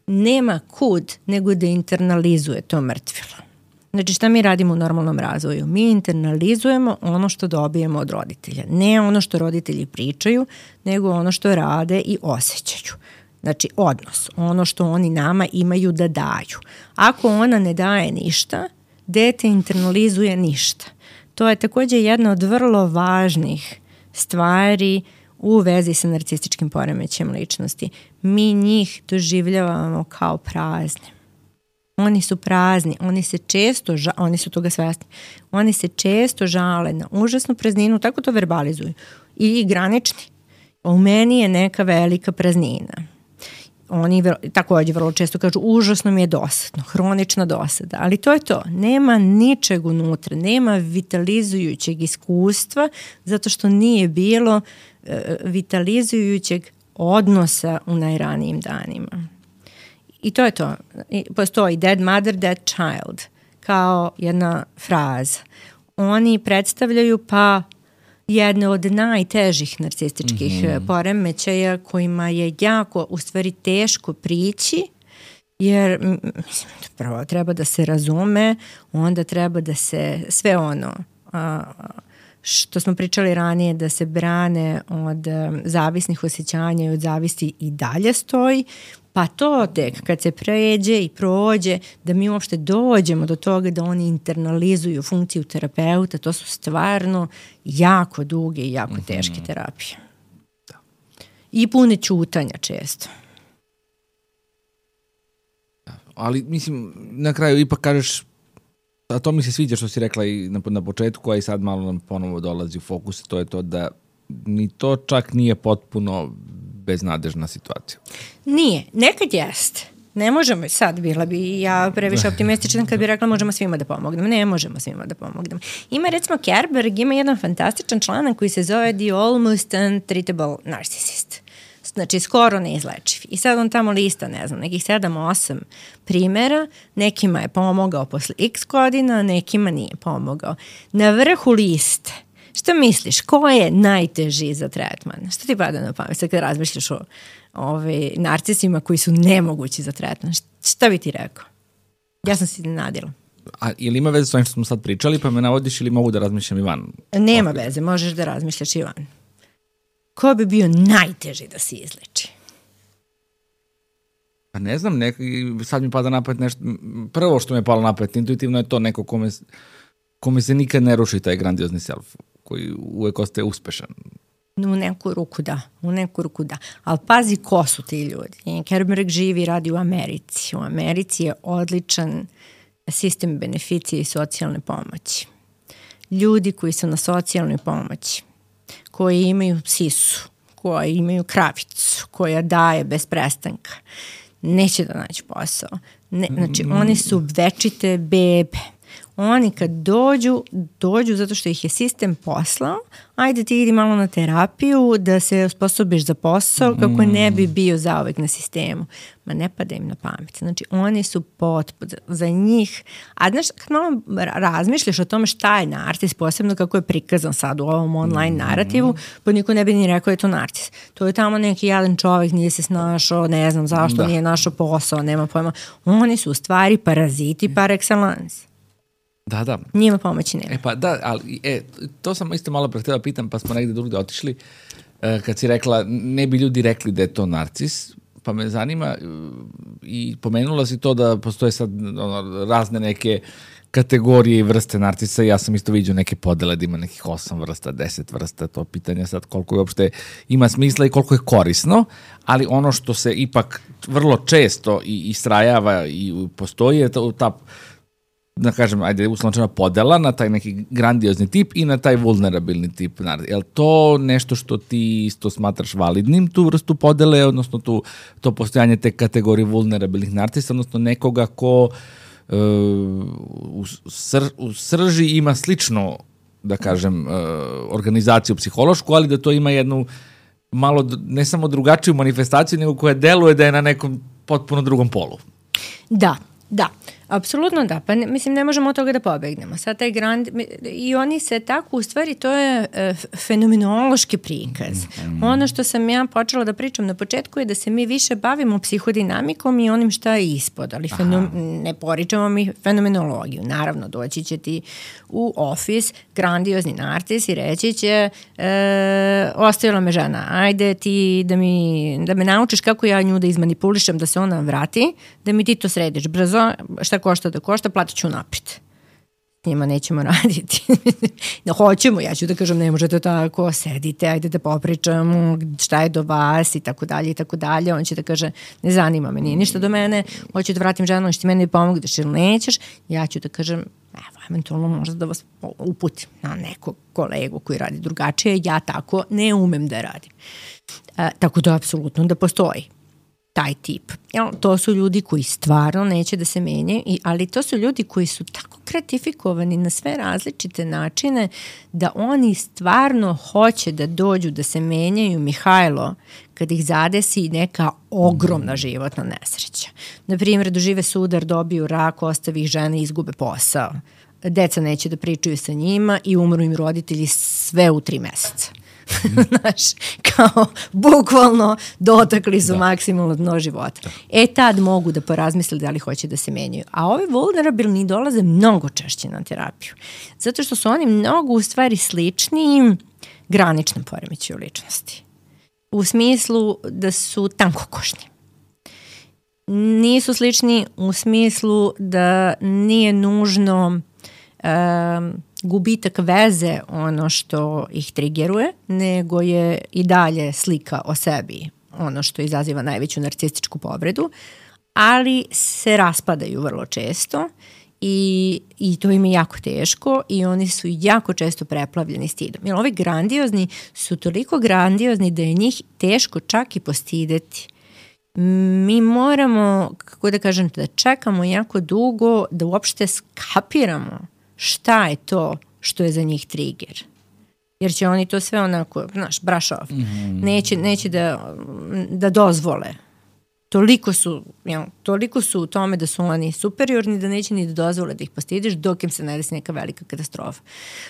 nema kud nego da internalizuje to mrtvilo. Znači šta mi radimo u normalnom razvoju? Mi internalizujemo ono što dobijemo od roditelja. Ne ono što roditelji pričaju, nego ono što rade i osjećaju. Znači odnos, ono što oni nama imaju da daju. Ako ona ne daje ništa, dete internalizuje ništa. To je također jedna od vrlo važnih stvari u vezi sa narcističkim poremećajem ličnosti. Mi njih doživljavamo kao prazne. Oni su prazni, oni se često, ža- oni su toga svesni, oni se često žale na užasnu prazninu, tako to verbalizuju. I granični. U meni je neka velika praznina. Oni vrlo, također vrlo često kažu užasno mi je dosadno, hronična dosada, ali to je to. Nema ničeg unutra, nema vitalizujućeg iskustva zato što nije bilo e, vitalizujućeg odnosa u najranijim danima. I to je to. I postoji dead mother, dead child kao jedna fraza. Oni predstavljaju pa jedne od najtežih narcističkih mm-hmm. poremećaja kojima je jako u stvari teško prići, jer mislim, prvo treba da se razume, onda treba da se sve ono a, što smo pričali ranije, da se brane od um, zavisnih osjećanja i od zavisti i dalje stoji, pa to tek kad se pređe i prođe, da mi uopšte dođemo do toga da oni internalizuju funkciju terapeuta, to su stvarno jako duge i jako mm-hmm. teške terapije. Da. I pune ćutanja često. Da. Ali mislim, na kraju ipak kažeš, a to mi se sviđa što si rekla i na, na početku, a i sad malo nam ponovo dolazi u fokus, to je to da ni to čak nije potpuno beznadežna situacija. Nije. Nekad jeste. Ne možemo, sad bila bi ja previše optimistična kad bi rekla možemo svima da pomognemo. Ne možemo svima da pomognemo. Ima recimo Kerberg, ima jedan fantastičan članak koji se zove The Almost Untreatable Narcissist. Znači skoro neizlečiv. I sad on tamo lista, ne znam, nekih sedam osam primjera, nekima je pomogao posle x godina, nekima nije pomogao. Na vrhu liste, šta misliš, ko je najteži za tretman? Šta ti pada na pamet sad kad razmišljaš o ove, narcisima koji su nemogući za tretman? Šta bi ti rekao? Ja sam se iznenadila. A ili ima veze s ovim što smo sad pričali, pa me navodiš ili mogu da razmišljam i van? Nema okay. veze, možeš da razmišljaš i van. Ko bi bio najteži da se izleči? Pa ne znam, nek, sad mi pada napad nešto, prvo što mi je palo napad, intuitivno je to neko kome, kome se nikad ne ruši taj grandiozni self, koji uvek ostaje uspešan. U neku ruku da, u neku ruku da. Ali pazi ko su ti ljudi. Kerberg živi i radi u Americi. U Americi je odličan sistem beneficije i socijalne pomoći. Ljudi koji su na socijalnoj pomoći, koji imaju sisu, koji imaju kravicu, koja daje bez prestanka, neće da naći posao. Ne, znači, oni su večite bebe. Oni kad dođu, dođu zato što ih je sistem poslao, ajde ti idi malo na terapiju da se osposobiš za posao kako ne bi bio zauvek na sistemu. Ma ne pada im na pamet. Znači oni su potpuno za njih. A znaš, kad malo razmišljaš o tome šta je narcis, posebno kako je prikazan sad u ovom online narativu, pa niko ne bi ni rekao je to narcis. To je tamo neki jedan čovjek, nije se snašao, ne znam zašto da. Nije našao posao, nema pojma. Oni su u stvari paraziti par excellence. Da, da. Njima pomoći nema. E pa da, ali e, to sam isto malo pre htjela pitam, pa smo negde drugde otišli. E, kad si rekla, ne bi ljudi rekli da je to narcis, pa me zanima i pomenula si to da postoje sad ono, razne neke kategorije i vrste narcisa. Ja sam isto vidio neke podele da ima nekih osam vrsta, deset vrsta, to pitanje sad koliko je uopšte ima smisla i koliko je korisno, ali ono što se ipak vrlo često i istrajava i postoji je ta, ta da kažem, ajde, uslovno podela na taj neki grandiozni tip i na taj vulnerabilni tip. Je li to nešto što ti isto smatraš validnim, tu vrstu podele, odnosno tu, to postojanje te kategorije vulnerabilnih narcisa, odnosno nekoga ko uh, u, sr, u srži ima slično, da kažem, uh, organizaciju psihološku, ali da to ima jednu malo, ne samo drugačiju manifestaciju, nego koja deluje da je na nekom potpuno drugom polu. Da, da. Apsolutno da, pa ne, mislim ne možemo od toga da pobegnemo. Sad taj grand, i oni se tako, u stvari to je e, fenomenološki prikaz. Mm. Ono što sam ja počela da pričam na početku je da se mi više bavimo psihodinamikom i onim šta je ispod, ali fenom, ne poričamo mi fenomenologiju. Naravno, doći će ti u ofis grandiozni narcis i reći će e, ostavila me žena, ajde ti da, mi, da me naučiš kako ja nju da izmanipulišem, da se ona vrati, da mi ti to središ brzo, šta košta da košta, platit ću napred. Njima nećemo raditi. Da hoćemo, ja ću da kažem, ne možete tako, sedite, ajde da popričamo šta je do vas i tako dalje i tako dalje. On će da kaže, ne zanima me, nije ništa do mene, hoću da vratim ženu, što ti meni pomogneš ili nećeš. Ja ću da kažem, evo, eventualno možda da vas uputim na nekog kolegu koji radi drugačije, ja tako ne umem da radim. E, tako da, apsolutno da postoji taj tip. Jel, to su ljudi koji stvarno neće da se menjaju, ali to su ljudi koji su tako gratifikovani na sve različite načine da oni stvarno hoće da dođu da se menjaju. Mihajlo, kad ih zadesi neka ogromna životna nesreća. Na primjer, dožive sudar, dobiju rak, ostavi ih žene i izgube posao. Deca neće da pričaju sa njima i umru im roditelji sve u tri meseca. Znaš, kao bukvalno dotakli su da. maksimalno dno života. Da. E tad mogu da porazmisle da li hoće da se menjaju. A ovi vulnerabilni dolaze mnogo češće na terapiju. Zato što su oni mnogo u stvari slični graničnom poremećaju ličnosti. U smislu da su tankokošni. Nisu slični u smislu da nije nužno um, gubitak veze ono što ih trigeruje, nego je i dalje slika o sebi ono što izaziva najveću narcističku povredu, ali se raspadaju vrlo često i, i to im je jako teško i oni su jako često preplavljeni stidom. Jer ovi grandiozni su toliko grandiozni da je njih teško čak i postideti. Mi moramo, kako da kažem, da čekamo jako dugo da uopšte skapiramo šta je to što je za njih trigger. Jer će oni to sve onako, znaš, brush off. Mm-hmm. Neće, neće da, da dozvole. Toliko su, ja, toliko su u tome da su oni superiorni da neće ni da dozvole da ih postidiš dok im se ne desi neka velika katastrofa.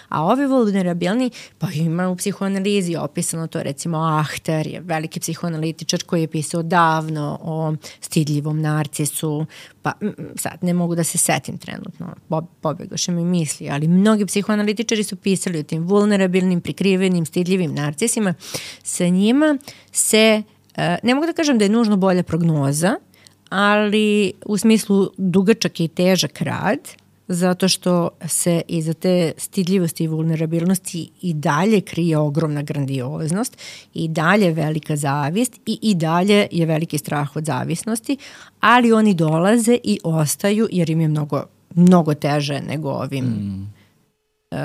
A ovi vulnerabilni, pa ima u psihoanalizi opisano to, recimo Ahter je veliki psihoanalitičar koji je pisao davno o stidljivom narcisu, pa sad ne mogu da se setim trenutno, pobegoše mi misli, ali mnogi psihoanalitičari su pisali o tim vulnerabilnim, prikrivenim, stidljivim narcisima. Sa njima se ne mogu da kažem da je nužno bolja prognoza, ali u smislu dugačak i težak rad, zato što se iza te stidljivosti i vulnerabilnosti i dalje krije ogromna grandioznost, i dalje velika zavist i i dalje je veliki strah od zavisnosti, ali oni dolaze i ostaju jer im je mnogo, mnogo teže nego ovim mm. uh,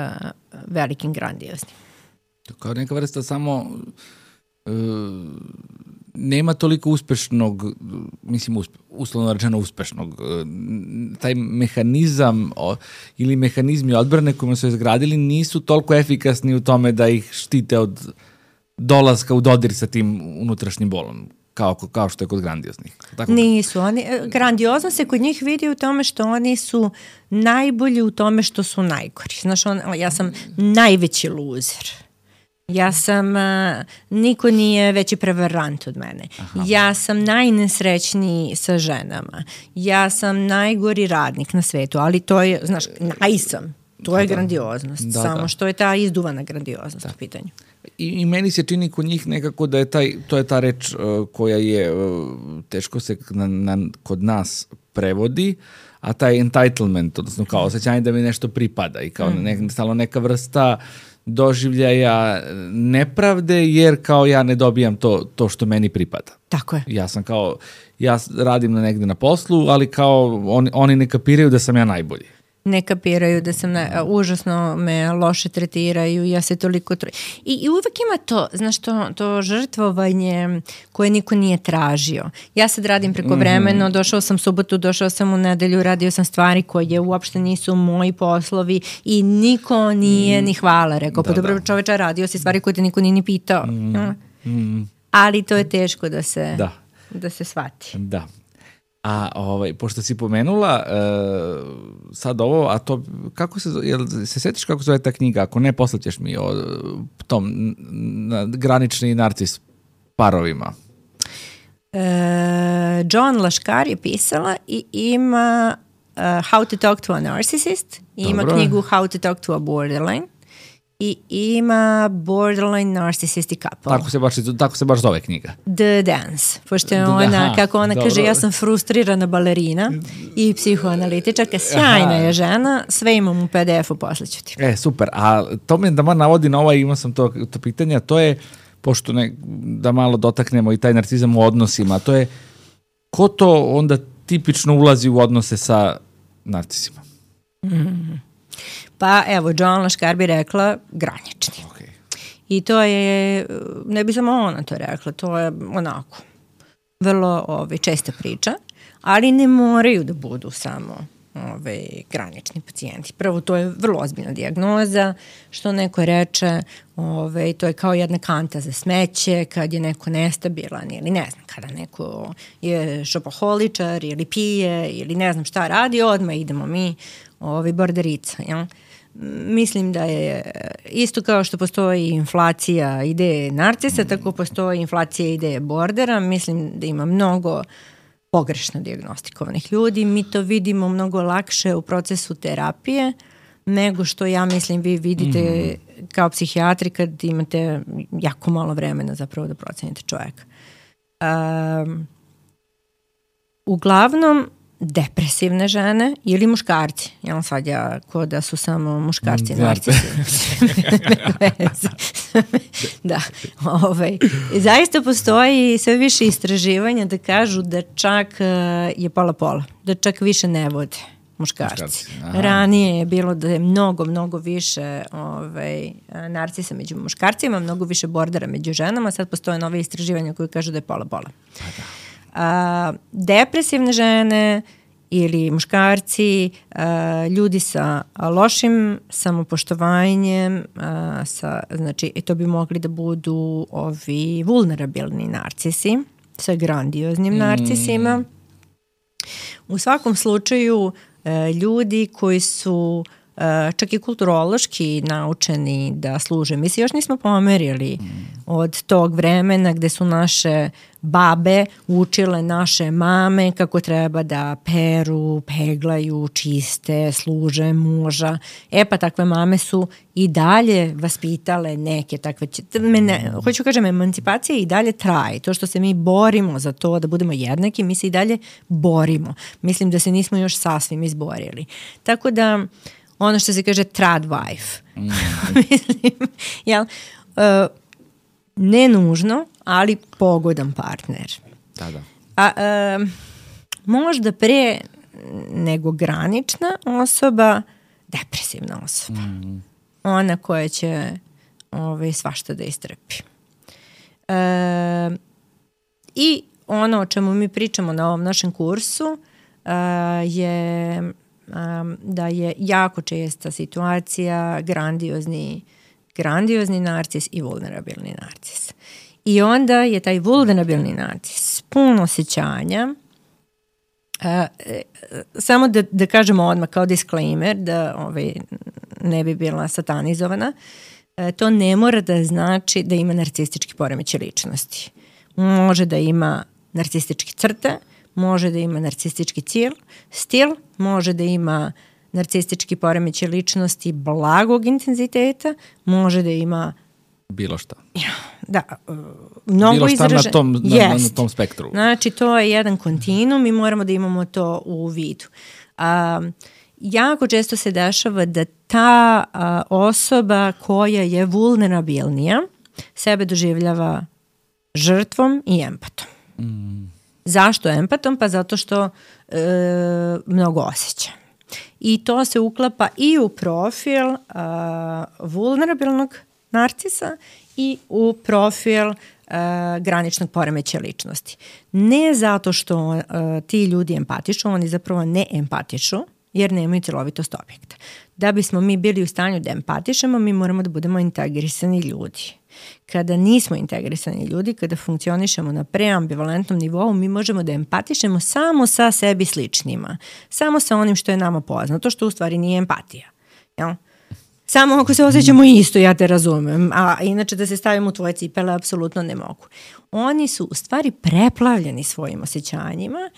velikim grandioznim. Kao neka vrsta samo... Uh... nema toliko uspešnog, mislim uspe, uslovno rečeno uspešnog, taj mehanizam o, ili mehanizmi odbrane kojima su izgradili nisu toliko efikasni u tome da ih štite od dolaska u dodir sa tim unutrašnjim bolom, kao, kao što je kod grandioznih. Tako nisu. Oni, grandiozno se kod njih vidi u tome što oni su najbolji u tome što su najgori. Znaš, on, ja sam najveći luzer. Ja sam, uh, niko nije veći prevarant od mene. Aha. Ja sam najnesrećniji sa ženama. Ja sam najgori radnik na svetu, ali to je, znaš, najsam. To je da, grandioznost, da, samo da. Što je ta izduvana grandioznost da. U pitanju. I, I meni se čini kod njih nekako da je taj, to je ta reč uh, koja je, uh, teško se na, na, kod nas prevodi, a taj entitlement, odnosno kao osjećanje da mi nešto pripada i kao mm. ne, stalo neka vrsta doživljaja nepravde, jer kao ja ne dobijam to, to što meni pripada. Tako je. Ja sam kao, ja radim na negde na poslu, ali kao on, oni ne kapiraju da sam ja najbolji. Ne kapiraju da sam, na, užasno me loše tretiraju, ja se toliko... Tro... I, I uvek ima to, znaš, to, to žrtvovanje koje niko nije tražio. Ja sad radim preko vremeno, mm-hmm. došao sam subotu, došao sam u nedelju, radio sam stvari koje uopšte nisu moji poslovi i niko nije mm. ni hvala rekao. Da, pa dobro, da. Čoveče, radio si stvari koje te niko nije ni pitao. Mm. Ja. Mm. Ali to je teško da se, da. Da se shvati. Da. A ovaj, pošto si pomenula uh, sad ovo, a to kako se, jel se setiš kako zove ta knjiga? Ako ne, poslaćeš mi o tom na, granični narcis parovima. Uh, John Lashkar je pisala i ima uh, How to talk to a narcissist, i ima knjigu How to talk to a borderline i ima Borderline Narcissistic Couple. Tako se baš, tako se baš zove knjiga. The Dance. Pošto je ona, aha, kako ona dobro. Kaže, ja sam frustrirana balerina i psihoanalitičarka, sjajna je žena, sve imam u P D F-u, poslaću ti. E, super. A to me da ma navodi na ovaj, imao sam to, to pitanje, a to je, pošto ne, da malo dotaknemo i taj narcizam u odnosima, to je, ko to onda tipično ulazi u odnose sa narcisima? Mm. Pa evo, John Lashkar bi rekla granični. Okay. I to je, ne bi samo ona to rekla, to je onako vrlo ove, česta priča, ali ne moraju da budu samo ove, granični pacijenti. Prvo, to je vrlo ozbiljna dijagnoza, što neko reče, ove, to je kao jedna kanta za smeće, kad je neko nestabilan ili ne znam, kada neko je šopoholičar ili pije ili ne znam šta radi, odmah idemo mi ove, borderica, jel? Mislim da je isto kao što postoji inflacija ideje narcisa, tako postoji inflacija ideje bordera. Mislim da ima mnogo pogrešno dijagnostikovanih ljudi. Mi to vidimo mnogo lakše u procesu terapije nego što ja mislim vi vidite mm. kao psihijatri kad imate jako malo vremena zapravo da procenite čovjeka. Um, uglavnom depresivne žene ili muškarci. Jel sad ja ko da su samo muškarci narcisi. Da. Ovaj. Zaista postoji sve više istraživanja da kažu da čak je pola-pola. Da čak više ne vode muškarci. muškarci. Ranije je bilo da je mnogo, mnogo više ovaj, narcisa među muškarcima, mnogo više bordera među ženama. Sad postoje nove istraživanja koje kažu da je pola-pola. A, depresivne žene ili muškarci, a, ljudi sa lošim samopoštovanjem, a, sa, znači to bi mogli da budu ovi vulnerabilni narcisi sa grandioznim mm. narcisima. U svakom slučaju a, ljudi koji su Uh, čak i kulturološki naučeni da služe. Mi se još nismo pomerili mm. od tog vremena gde su naše babe učile naše mame kako treba da peru, peglaju, čiste, služe muža. E pa takve mame su i dalje vaspitale neke takve... Mene, hoću kažem, emancipacija i dalje traje. To što se mi borimo za to da budemo jednaki, mi se i dalje borimo. Mislim da se nismo još sasvim izborili. Tako da ono što se kaže trad wife. Mm. Mislim, jel, uh, ne nužno, ali pogodan partner. Da, da. A, uh, možda pre nego granična osoba, depresivna osoba. Mm. Ona koja će ovaj, svašta da istrpi. Uh, I ono o čemu mi pričamo na ovom našem kursu uh, je... Um, da je jako česta situacija grandiozni, grandiozni narcis i vulnerabilni narcis. I onda je taj vulnerabilni narcis puno osjećanja. Uh, samo da, da kažemo odmah kao disclaimer da ovaj, ne bi bila satanizovana. to ne mora da znači da ima narcistički poremećaj ličnosti. Može da ima narcističke crte, može da ima narcistički cil, stil, može da ima narcistički poremećaj ličnosti blagog intenziteta, može da ima bilo šta. Da, mnogo bilo šta izraže... na tom, na, yes. na tom spektru. Znači, to je jedan kontinuum i moramo da imamo to u vidu. A, jako često se dešava da ta a, osoba koja je vulnerabilnija sebe doživljava žrtvom i empatom. Mm. Zašto empatom? Pa zato što e, mnogo osjeća. I to se uklapa i u profil a, vulnerabilnog narcisa i u profil uh, graničnog poremećaja ličnosti. Ne zato što uh, ti ljudi empatišu, oni zapravo ne empatišu, jer nemaju celovitost objekta. Da bismo mi bili u stanju da empatišemo, mi moramo da budemo integrisani ljudi. Kada nismo integrisani ljudi, kada funkcionišemo na preambivalentnom nivou, mi možemo da empatišemo samo sa sebi sličnima. Samo sa onim što je nama poznato, što u stvari nije empatija. Jel? Samo ako se osjećamo isto, ja te razumem, a inače da se stavim u tvoje cipele, apsolutno ne mogu. Oni su u stvari preplavljeni svojim osjećanjima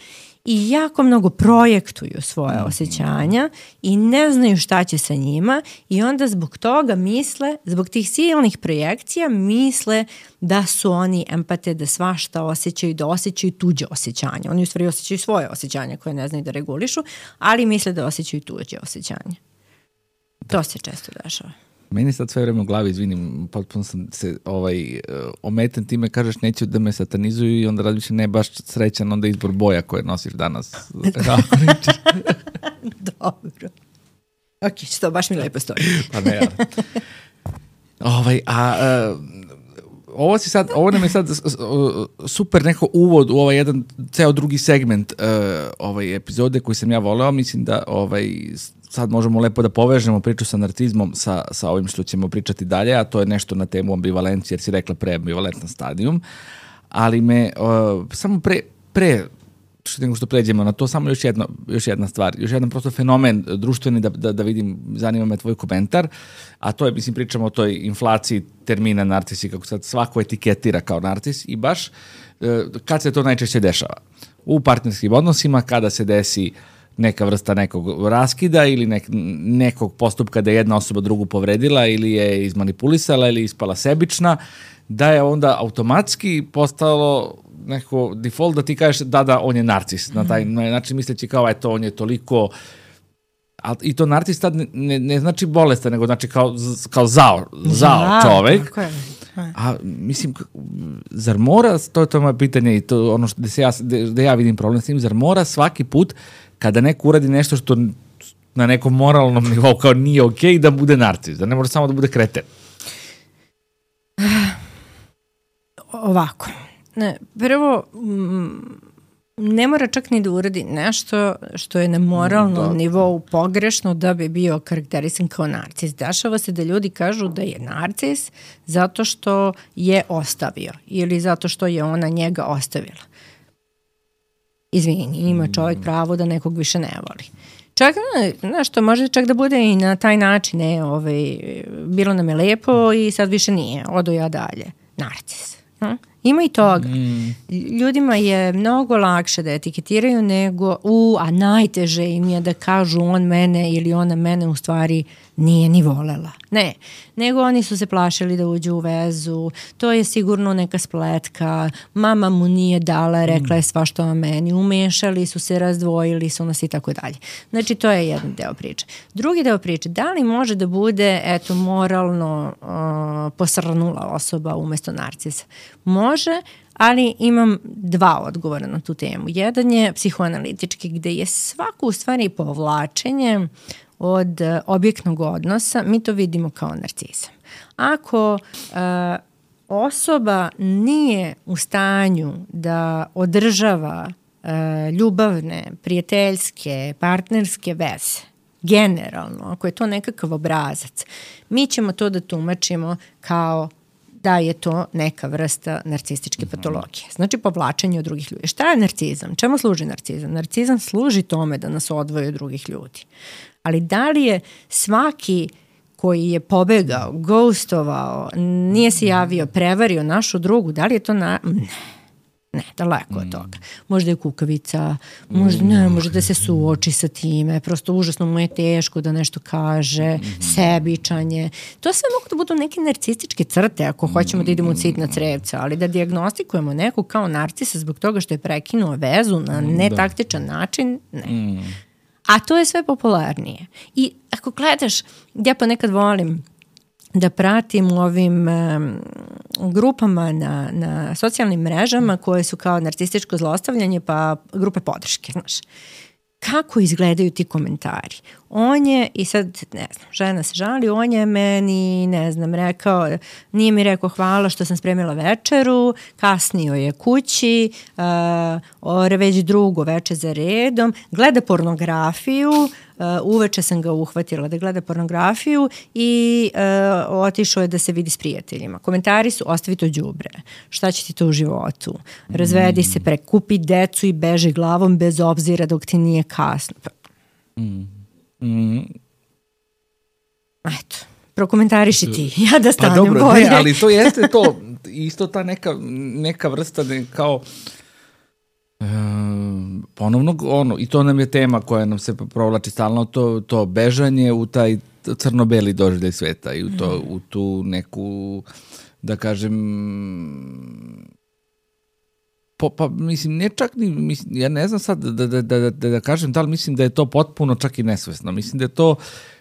i jako mnogo projektuju svoje osjećanja i ne znaju šta će sa njima i onda zbog toga misle, zbog tih silnih projekcija misle da su oni empate, da svašta osjećaju, da osjećaju tuđe osjećanja. Oni u stvari osjećaju svoje osjećanja koje ne znaju da regulišu, ali misle da osjećaju tuđe osjećanja. To se često dešava. Meni sad sve vreme u glavi, izvinim, potpuno sam se ovaj, ometen time, kažeš neću da me satanizuju i onda razmišljam, ne baš srećan onda izbor boja koje nosiš danas. Dobro. Ok, što baš mi lepo stoji. Pa ne, ja. Ovaj, a... Uh, Ovo, si sad, ovo nam je sad super neko uvod u ovaj jedan ceo drugi segment uh, ovaj epizode koji sam ja voleo. Mislim da ovaj, sad možemo lepo da povežemo priču sa narcizmom sa, sa ovim što ćemo pričati dalje, a to je nešto na temu ambivalencije, jer si rekla preambivalentan stadijum. Ali me uh, samo pre, pre što nego što pređemo na to, samo još, jedno, još jedna stvar, još jedan prosto fenomen društveni da, da, da vidim, zanima me tvoj komentar, a to je, mislim, pričamo o toj inflaciji termina narcisi, kako sad svako etiketira kao narcis i baš kad se to najčešće dešava. U partnerskim odnosima, kada se desi neka vrsta nekog raskida ili nek, nekog postupka da je jedna osoba drugu povredila ili je izmanipulisala ili ispala sebična, da je onda automatski postalo neko default da ti kažeš da, da, on je narcis. Na taj način misleći kao, eto, on je toliko... A, i to narcis tad ne, ne, ne znači bolestan, nego znači kao, kao zao, zao ja, čovek. A mislim, zar mora, to je to moje pitanje i to ono što se ja, da ja vidim problem s tim, zar mora svaki put kada neko uradi nešto što na nekom moralnom nivou kao nije okej, da bude narcis, da ne može samo da bude kreten? Ovako. Ne, prvo, ne mora čak ni da uradi nešto što je na moralnom da. nivou pogrešno da bi bio karakterisan kao narcis. Dešava se da ljudi kažu da je narcis zato što je ostavio ili zato što je ona njega ostavila. Izvini, ima čovjek pravo da nekog više ne voli. Čak, znaš, to može čak da bude i na taj način, ne, ovaj, bilo nam je lepo i sad više nije, odo ja dalje. Narcis. Hm? Ima i toga. Mm. Ljudima je mnogo lakše da etiketiraju nego, u, a najteže im je da kažu on mene ili ona mene u stvari nije ni volela. Ne, nego oni su se plašili da uđu u vezu, to je sigurno neka spletka, mama mu nije dala, rekla je svašta o meni, umešali su se, razdvojili su nas i tako dalje. Znači, to je jedan deo priče. Drugi deo priče, da li može da bude, eto, moralno uh, posrnula osoba umesto narcisa? Može, ali imam dva odgovora na tu temu. Jedan je psihoanalitički, gde je svako u stvari povlačenje od objektnog odnosa, mi to vidimo kao narcizam. Ako uh, osoba nije u stanju da održava uh, ljubavne, prijateljske, partnerske veze, generalno, ako je to nekakav obrazac, mi ćemo to da tumačimo kao da je to neka vrsta narcističke patologije. Znači povlačenje od drugih ljudi. Šta je narcizam? Čemu služi narcizam? Narcizam služi tome da nas odvoji od drugih ljudi. Ali da li je svaki koji je pobegao, ghostovao, nije se javio, prevario našu drugu, da li je to na... Ne. Ne, daleko od toga. Možda je kukavica, možda ne, može da se suoči sa time, prosto užasno mu je teško da nešto kaže, sebičanje. To sve mogu da budu neke narcističke crte ako hoćemo da idemo u cit na crevca, ali da dijagnostikujemo nekog kao narcisa zbog toga što je prekinuo vezu na netaktičan način, ne. A to je sve popularnije. I ako gledaš, ja pa nekad volim da pratim u ovim um, grupama na, na socijalnim mrežama koje su kao narcističko zlostavljanje pa grupe podrške, znaš. Kako izgledaju ti komentari? On je, i sad, ne znam, žena se žali, on je meni, ne znam, rekao, nije mi rekao hvala što sam spremila večeru, kasnio je kući, uh, ore već drugo veče za redom, gleda pornografiju, uh, uveče sam ga uhvatila da gleda pornografiju i uh, otišao je da se vidi s prijateljima. Komentari su, ostavi to đubre, šta će ti to u životu, razvedi se, prekupi decu i beži glavom bez obzira dok ti nije kasno. Mm. Mm. Eto, prokomentariši ti, ja da stanem pa dobro, bolje. Ne, ali to jeste to, isto ta neka, neka vrsta ne, kao e, ponovno ono, i to nam je tema koja nam se provlači stalno, to, to bežanje u taj crno-beli doživljaj sveta i u, to, mm. u tu neku, da kažem, Po, pa mislim, ne čak ni, mislim, ja ne znam sad da, da, da, da, da kažem da li mislim da je to potpuno čak i nesvesno. Mislim da je to,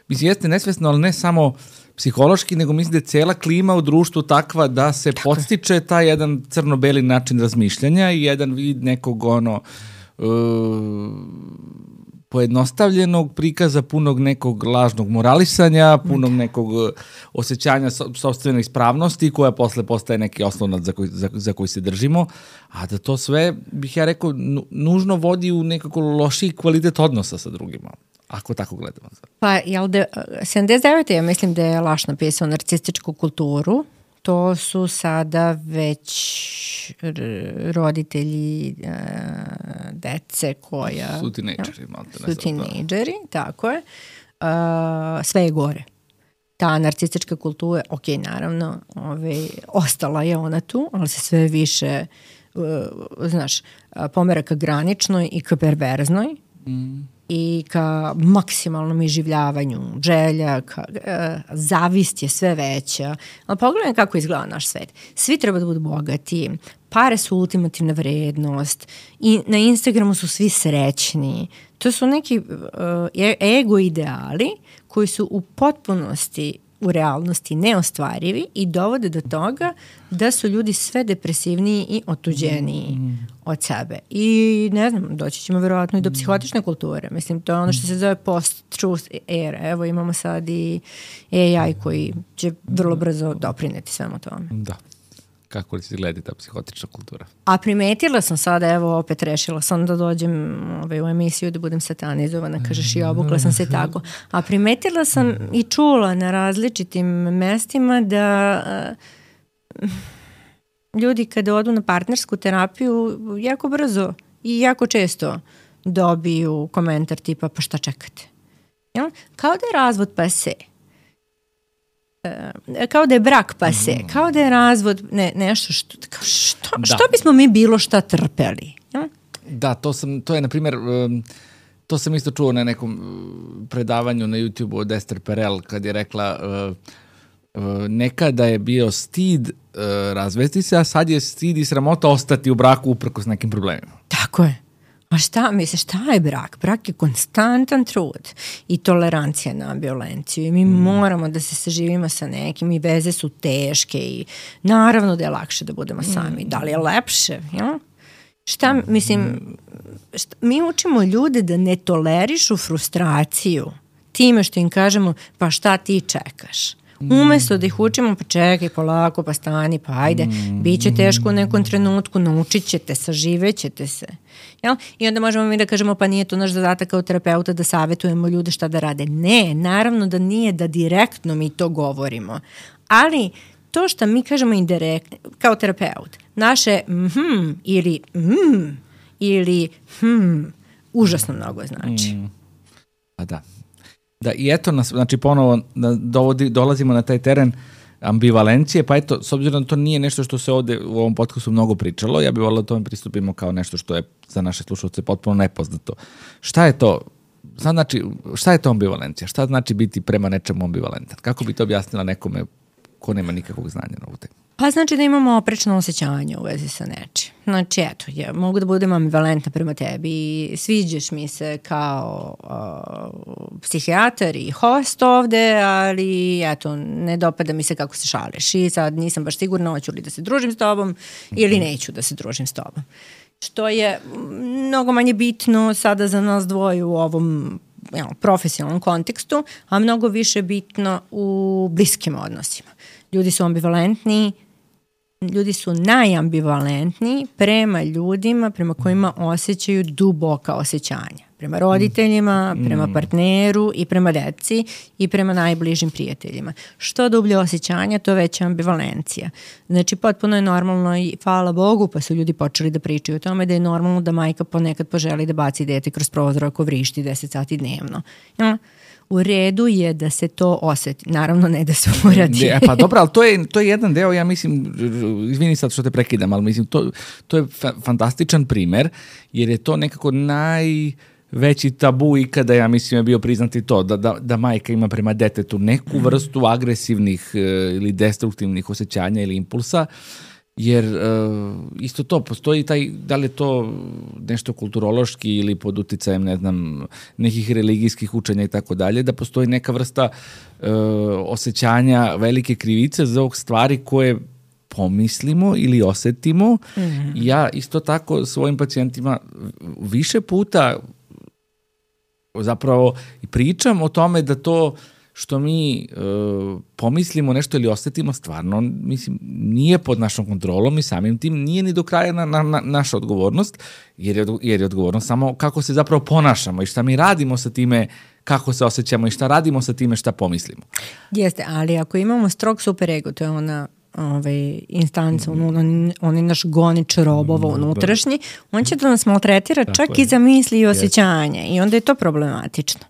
mislim, jeste nesvesno, ali ne samo psihološki, nego mislim da je cijela klima u društvu takva da se tako podstiče taj jedan crno-beli način razmišljanja i jedan vid nekog ono uh, pojednostavljenog prikaza, punog nekog lažnog moralisanja, punog nekog osjećanja so, sopstvene ispravnosti koja posle postaje neki oslonac za koji, za, za koji se držimo, a da to sve, bih ja rekao, nužno vodi u nekako lošiji kvalitet odnosa sa drugima, ako tako gledamo. Pa, jel de, sedamdeset devete ja mislim da je Laš napisao narcističku kulturu, to su sada već roditelji uh, dece koja... Su tinejdžeri. Ja, su tinejdžeri, tako je. Uh, sve je gore. Ta narcistička kultura, ok, naravno, ove, ostala je ona tu, ali se sve više, uh, znaš, pomera ka graničnoj i ka perverznoj. Mm. I ka maksimalnom iživljavanju želja, ka, e, zavist je sve veća. Ali pogledaj kako izgleda naš svet. Svi treba da budu bogati, pare su ultimativna vrednost i na Instagramu su svi srećni. To su neki e, ego ideali koji su u potpunosti u realnosti neostvarivi i dovode do toga da su ljudi sve depresivniji i otuđeniji mm. od sebe. I ne znam, doći ćemo verovatno i do psihotične kulture. Mislim, to je ono što se zove post-truth era. Evo imamo sad i A I koji će vrlo brzo doprineti svemu tome. Da. Kako li se gleda ta psihotična kultura? A primetila sam sada, evo opet rešila sam da dođem ovaj, u emisiju da budem satanizovana, kažeš i obukla sam se tako. A primetila sam i čula na različitim mestima da uh, ljudi kada odu na partnersku terapiju jako brzo i jako često dobiju komentar tipa pa šta čekate? Jel? Kao da je razvod pase. Uh, kao da je brak pase, mm. kao da je razvod ne, nešto što, kao što, što bismo mi bilo šta trpeli. Ja? Da, to, sam, to je na primjer, um, to sam isto čuo na nekom predavanju na YouTube-u od Esther Perel kad je rekla uh, uh, nekada je bio stid uh, razvesti se, a sad je stid i sramota ostati u braku uprkos nekim problemima. Tako je. A šta, misliš, šta je brak? Brak je konstantan trud i tolerancija na violenciju i mi mm. moramo da se saživimo sa nekim i veze su teške i naravno da je lakše da budemo sami. Mm. Da li je lepše? Ja? Šta, mislim, šta, mi učimo ljude da ne tolerišu frustraciju time što im kažemo pa šta ti čekaš? Umesto da ih učimo, pa čekaj, polako, pa stani, pa ajde, mm. bit će teško u nekom trenutku, naučit ćete, saživet ćete se. Jel? I onda možemo mi da kažemo, pa nije to naš zadatak kao terapeuta da savjetujemo ljude šta da rade. Ne, naravno da nije da direktno mi to govorimo. Ali to što mi kažemo indirektno, kao terapeut, naše mhm ili mhm ili hm, užasno mnogo znači. Mm. Pa da. Da, i eto nas, znači ponovo dovodi, dolazimo na taj teren ambivalencije, pa eto, s obzirom da to nije nešto što se ovde u ovom podcastu mnogo pričalo, ja bih volila da tome pristupimo kao nešto što je za naše slušalce potpuno nepoznato. Šta je to? Šta znači, šta je to ambivalencija? Šta znači biti prema nečemu ambivalentan? Kako bi to objasnila nekome ko nema nikakvog znanja na ovu temu? Pa znači da imamo oprečno osjećanje u vezi sa nečim. Znači eto, ja mogu da budem ambivalentna prema tebi, sviđaš mi se kao uh, psihijatar i host ovde, ali eto, ne dopada mi se kako se šališ i sad nisam baš sigurna hoću li da se družim s tobom ili neću da se družim s tobom. Što je mnogo manje bitno sada za nas dvoje u ovom jel, profesionalnom kontekstu, a mnogo više bitno u bliskim odnosima. Ljudi su ambivalentni, ljudi su najambivalentniji prema ljudima prema kojima osjećaju duboka osjećanja. Prema roditeljima, prema partneru i prema deci i prema najbližim prijateljima. Što dublje osjećanja, to veća ambivalencija. Znači, potpuno je normalno i hvala Bogu, pa su ljudi počeli da pričaju o tome da je normalno da majka ponekad poželi da baci dete kroz prozor ako vrišti deset sati dnevno. Ja? U redu je da se to oseti. Naravno ne da se uradi. E, pa dobro, ali to je, to je jedan deo, ja mislim, izvini sad što te prekidam, ali mislim, to, to je fa- fantastičan primer, jer je to nekako najveći tabu ikada, ja mislim, je bio priznati to, da, da, da majka ima prema detetu neku vrstu agresivnih ili destruktivnih osjećanja ili impulsa, jer uh, isto to, postoji taj, da li je to nešto kulturološki ili pod uticajem, ne znam, nekih religijskih učenja i tako dalje, da postoji neka vrsta uh, osjećanja velike krivice za ovog stvari koje pomislimo ili osetimo. Mm-hmm. Ja isto tako svojim pacijentima više puta zapravo pričam o tome da to što mi uh, pomislimo nešto ili osetimo stvarno, mislim, nije pod našom kontrolom i samim tim nije ni do kraja na, na, na naša odgovornost, jer je, jer je odgovornost samo kako se zapravo ponašamo i šta mi radimo sa time, kako se osjećamo i šta radimo sa time, šta pomislimo. Jeste, ali ako imamo strog superego, to je ona ovaj, instanca, mm. on, on je naš gonič robova mm, unutrašnji, on će da nas maltretira tako čak je. I za misli i osjećanje yes. i onda je to problematično.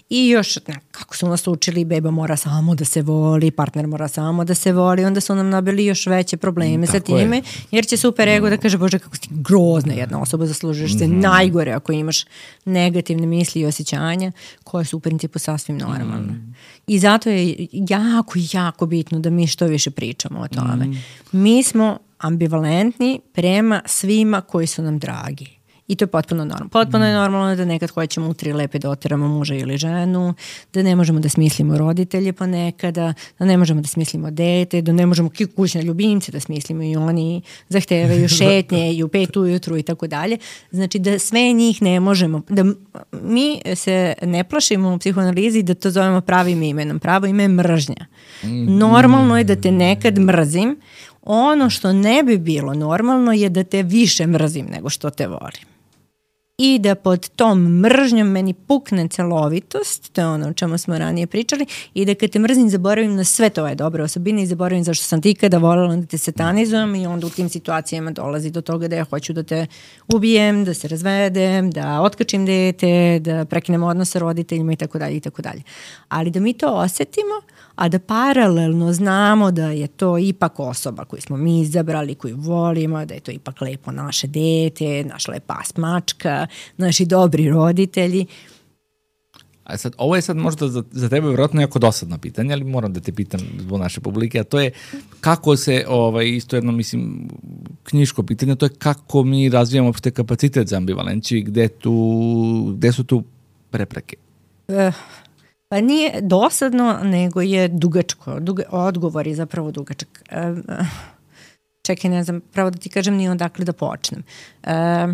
I još, ne, kako su nas učili, beba mora samo da se voli, partner mora samo da se voli, onda su nam nabili još veće probleme mm, sa time, je. Jer će super ego da kaže, bože, kako si grozna jedna osoba, zaslužuješ mm-hmm. se najgore ako imaš negativne misli i osjećanja, koje su u principu sasvim normalne. Mm. I zato je jako, jako bitno da mi što više pričamo o tome. Mm. Mi smo ambivalentni prema svima koji su nam dragi. I to je potpuno normalno. Potpuno je normalno da nekad hoćemo u tri lepe da oteramo muža ili ženu, da ne možemo da smislimo roditelje ponekada, da ne možemo da smislimo dete, da ne možemo kućne ljubimce da smislimo i oni zahtevaju šetnje i u pet ujutru i tako dalje. Znači da sve njih ne možemo, da mi se ne plašimo u psihoanalizi da to zovemo pravim imenom. Pravo ime je mržnja. Normalno je da te nekad mrzim. Ono što ne bi bilo normalno je da te više mrzim nego što te volim. I da pod tom mržnjom meni pukne celovitost, to je ono o čemu smo ranije pričali, i da kad te mrzim zaboravim na sve tvoje dobre osobine i zaboravim zašto sam ti ikada voljela, onda te satanizujem i onda u tim situacijama dolazi do toga da ja hoću da te ubijem, da se razvedem, da otkačim dete, da prekinem odnos sa roditeljima i tako dalje i tako dalje. Ali da mi to osetimo, a da paralelno znamo da je to ipak osoba koju smo mi izabrali, koju volimo, da je to ipak lepo naše dete, naša lepa mačka, naši dobri roditelji. A sad, ovo je sad možda za, za tebe vjerojatno jako dosadno pitanje, ali moram da te pitam zbog naše publike, a to je kako se, ovaj, isto jedno, mislim, knjiško pitanje, to je kako mi razvijamo uopšte kapacitet za ambivalenciju i gde, tu, gde su tu prepreke? Uh. Pa nije dosadno, nego je dugačko. Duga, odgovor je zapravo dugačak. E, čekaj, ne znam, pravo da ti kažem ni odakle da počnem. E,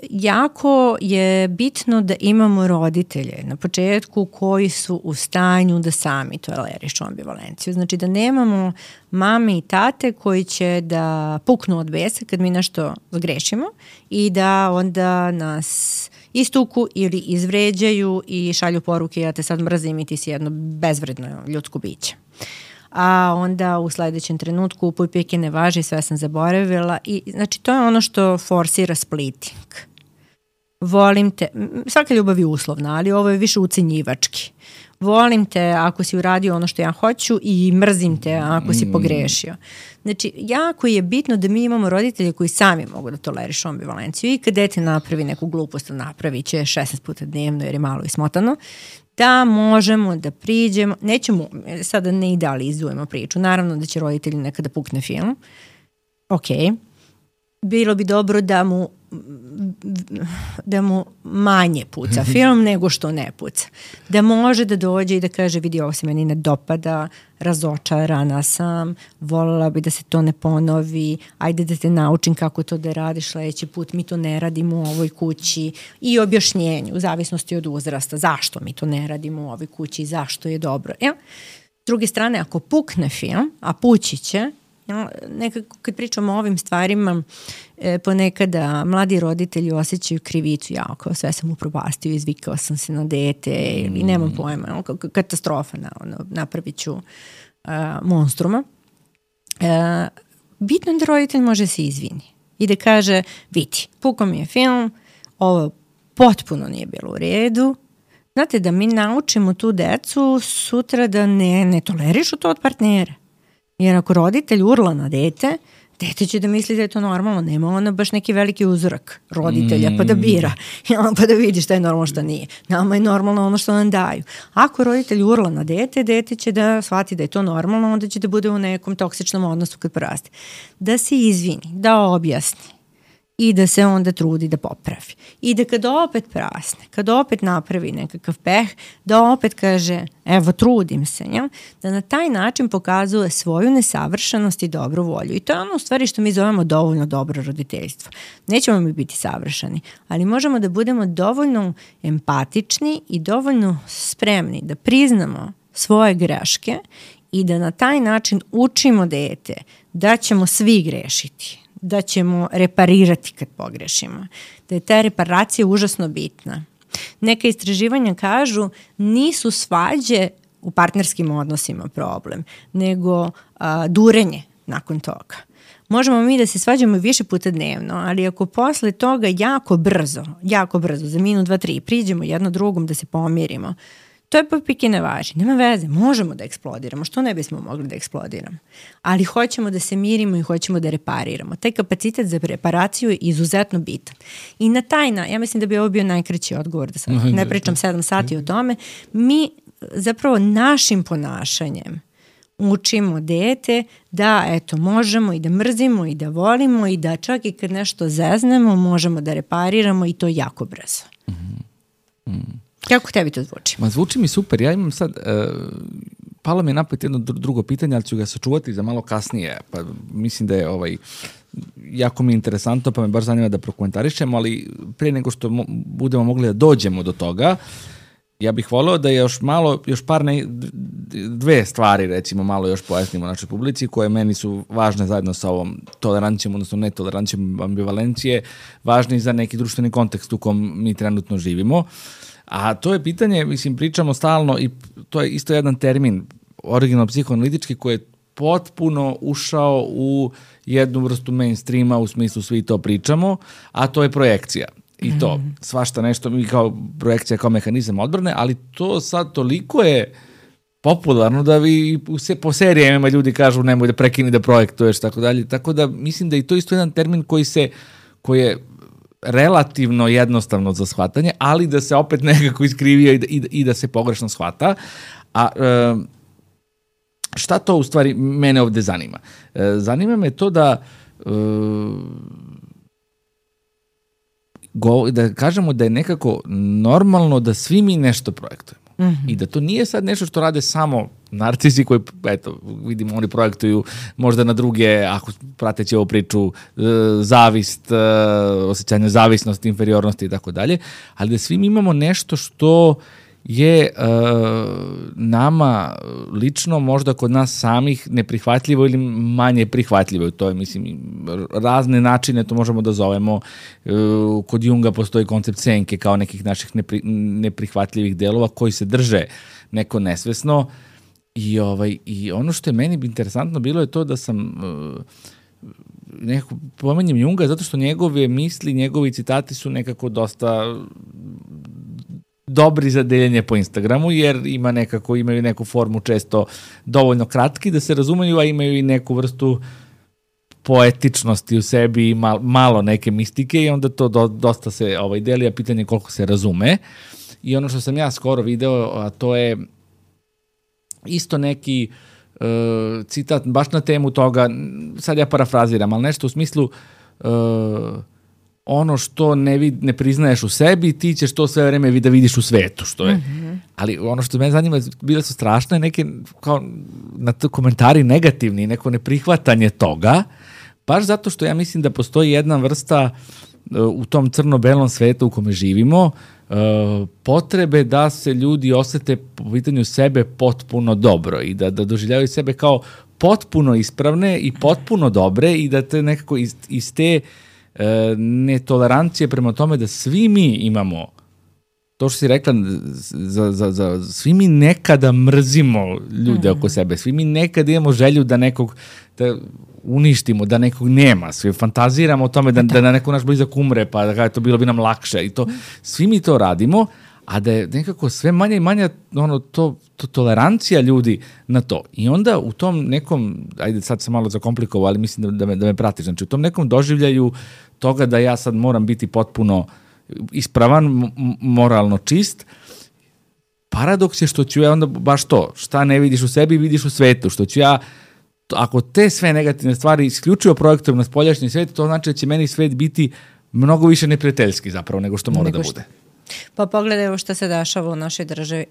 jako je bitno da imamo roditelje na početku koji su u stanju da sami tolerišu ambivalenciju. Znači da nemamo mame i tate koji će da puknu od besa kad mi nešto zgrešimo i da onda nas istuku ili izvređaju i šalju poruke ja te sad mrzim i ti si jedno bezvredno ljudsko biće. A onda u sledećem trenutku upuj pike ne važi, sve sam zaboravila i znači to je ono što forsira splitting. volim te, svaka ljubav je uslovna, ali ovo je više ucenjivački. Volim te ako si uradio ono što ja hoću i mrzim te ako si pogrešio. Znači, jako je bitno da mi imamo roditelje koji sami mogu da tolerišu ambivalenciju i kad dete napravi neku glupost, napravi će šesnaest puta dnevno jer je malo ismotano, da možemo da priđemo, nećemo, sada ne idealizujemo priču, naravno da će roditelji nekada pukne film, ok, bilo bi dobro da mu da mu manje puca film nego što ne puca. Da može da dođe i da kaže vidi ovo se meni ne dopada, razočarana sam, voljela bi da se to ne ponovi, ajde da te naučim kako to da radiš sledeći put, mi to ne radimo u ovoj kući i objašnjenju, u zavisnosti od uzrasta, zašto mi to ne radimo u ovoj kući, zašto je dobro. Ja? S druge strane, ako pukne film, a pući će, ja, nekako kad pričamo o ovim stvarima, e, ponekada mladi roditelji osjećaju krivicu, ja, kao sve sam upropastio, izvikao sam se na dete ili nemam pojma, ono, katastrofa, na, ono, napravit ću uh, monstruma. Uh, bitno je da roditelj može se izvini i da kaže, vidi, pukao mi je film, ovo potpuno nije bilo u redu. Znate, da mi naučimo tu decu sutra da ne, ne tolerišu to od partnera. Jer ako roditelj urla na dete, dete će da misli da je to normalno. Nema ona baš neki veliki uzorak roditelja pa da bira, pa da vidi šta je normalno, šta nije. Nama je normalno ono što nam daju. Ako roditelj urla na dete, dete će da shvati da je to normalno, onda će da bude u nekom toksičnom odnosu kad poraste. Da se izvini, da objasni i da se onda trudi da popravi. I da kad opet prasne, kad opet napravi nekakav peh, da opet kaže, evo trudim se, ja? Da na taj način pokazuje svoju nesavršenost i dobru volju. I to je ono u stvari što mi zovemo dovoljno dobro roditeljstvo. Nećemo mi biti savršeni, ali možemo da budemo dovoljno empatični i dovoljno spremni da priznamo svoje greške i da na taj način učimo dete da ćemo svi grešiti, da ćemo reparirati kad pogrešimo, da je ta reparacija užasno bitna. Neka istraživanja kažu nisu svađe u partnerskim odnosima problem, nego a, durenje nakon toga. Možemo mi da se svađamo više puta dnevno, ali ako posle toga jako brzo, jako brzo, za minut, dva, tri, priđemo jedno drugom da se pomirimo, to je pa pike ne važi. Nema veze, možemo da eksplodiramo. Što ne bismo mogli da eksplodiramo? Ali hoćemo da se mirimo i hoćemo da repariramo. Taj kapacitet za reparaciju je izuzetno bitan. I na taj način, ja mislim da bi ovo bio najkraći odgovor, da sad ne pričam sedam sati o tome, mi zapravo našim ponašanjem učimo dete da eto možemo i da mrzimo i da volimo i da čak i kad nešto zeznemo možemo da repariramo i to jako brzo. Mm. Mm. Kako tebi to zvuči? Ma zvuči mi super. Ja imam sad, uh, palo mi je napet jedno drugo pitanje, ali ću ga sačuvati za malo kasnije. Pa mislim da je ovaj, jako mi je interesantno, pa me baš zanima da prokomentarišemo, ali prije nego što mo- budemo mogli da dođemo do toga, ja bih voleo da još malo, još par ne, dve stvari recimo malo još pojasnimo našoj publici koje meni su važne zajedno sa ovom tolerancijom, odnosno netolerancijom ambivalencije, važni za neki društveni kontekst u kom mi trenutno živimo. A to je pitanje, mislim, pričamo stalno i to je isto jedan termin originalno psihoanalitički koji je potpuno ušao u jednu vrstu mainstreama, u smislu svi to pričamo, a to je projekcija. I to, mm. svašta nešto, mi kao projekcija kao mehanizam odbrane, ali to sad toliko je popularno da vi po serijama ljudi kažu nemoj da prekini da projektuješ, tako dalje. Tako da mislim da i to isto jedan termin koji se, koji je relativno jednostavno za shvatanje, ali da se opet nekako iskrivio i da, i da, i da se pogrešno shvata. A e, šta to u stvari mene ovde zanima? E, zanima me to da e, go, da kažemo da je nekako normalno da svi mi nešto projektujemo. Mm-hmm. I da to nije sad nešto što rade samo narcisi koji, eto, vidimo, oni projektuju možda na druge, ako prateći ovu priču, zavist, osjećanje zavisnosti, inferiornosti i tako dalje, ali da svi mi imamo nešto što je uh, nama lično možda kod nas samih neprihvatljivo ili manje prihvatljivo. To je, mislim, razne načine to možemo da zovemo. Uh, kod Junga postoji koncept senke kao nekih naših nepri, neprihvatljivih delova koji se drže neko nesvesno. I, ovaj, i ono što je meni interesantno bilo je to da sam uh, nekako pomenjem Junga zato što njegove misli, njegovi citati su nekako dosta dobri za deljenje po Instagramu, jer ima nekako, imaju neku formu često dovoljno kratki da se razumeju, a imaju i neku vrstu poetičnosti u sebi i mal, malo neke mistike i onda to do, dosta se ovaj, deli, a pitanje koliko se razume. I ono što sam ja skoro video, a to je isto neki uh, citat baš na temu toga, sad ja parafraziram, ali nešto u smislu uh, ono što ne, vid, ne priznaješ u sebi, ti ćeš to sve vreme da vidiš u svetu, što je. Mm-hmm. Ali ono što me zanima, bile su strašne neke kao, na to komentari negativni, neko neprihvatanje toga, baš zato što ja mislim da postoji jedna vrsta uh, u tom crno-belom svetu u kome živimo, uh, potrebe da se ljudi osete po pitanju sebe potpuno dobro i da, da doživljavaju sebe kao potpuno ispravne i potpuno dobre i da te nekako iz, iz te E, netolerancije prema tome da svi mi imamo to što si rekla za, za, za, svi mi nekada mrzimo ljude mm. oko sebe, svi mi nekada imamo želju da nekog da uništimo, da nekog nema, svi fantaziramo o tome da, da, da neko naš blizak umre pa da to bilo bi nam lakše i to, svi mi to radimo, a da je nekako sve manje i manje ono, to, to tolerancija ljudi na to. I onda u tom nekom, ajde sad sam malo zakomplikovao, ali mislim da, da, me, da me pratiš, znači u tom nekom doživljaju toga da ja sad moram biti potpuno ispravan, m- moralno čist, paradoks je što ću ja onda baš to, šta ne vidiš u sebi, vidiš u svetu, što ću ja, ako te sve negativne stvari isključivo projektujem na spoljašnji svet, to znači da će meni svet biti mnogo više neprijateljski zapravo nego što mora nego da bude. Pa pogledaj evo što se dešava u našoj državi.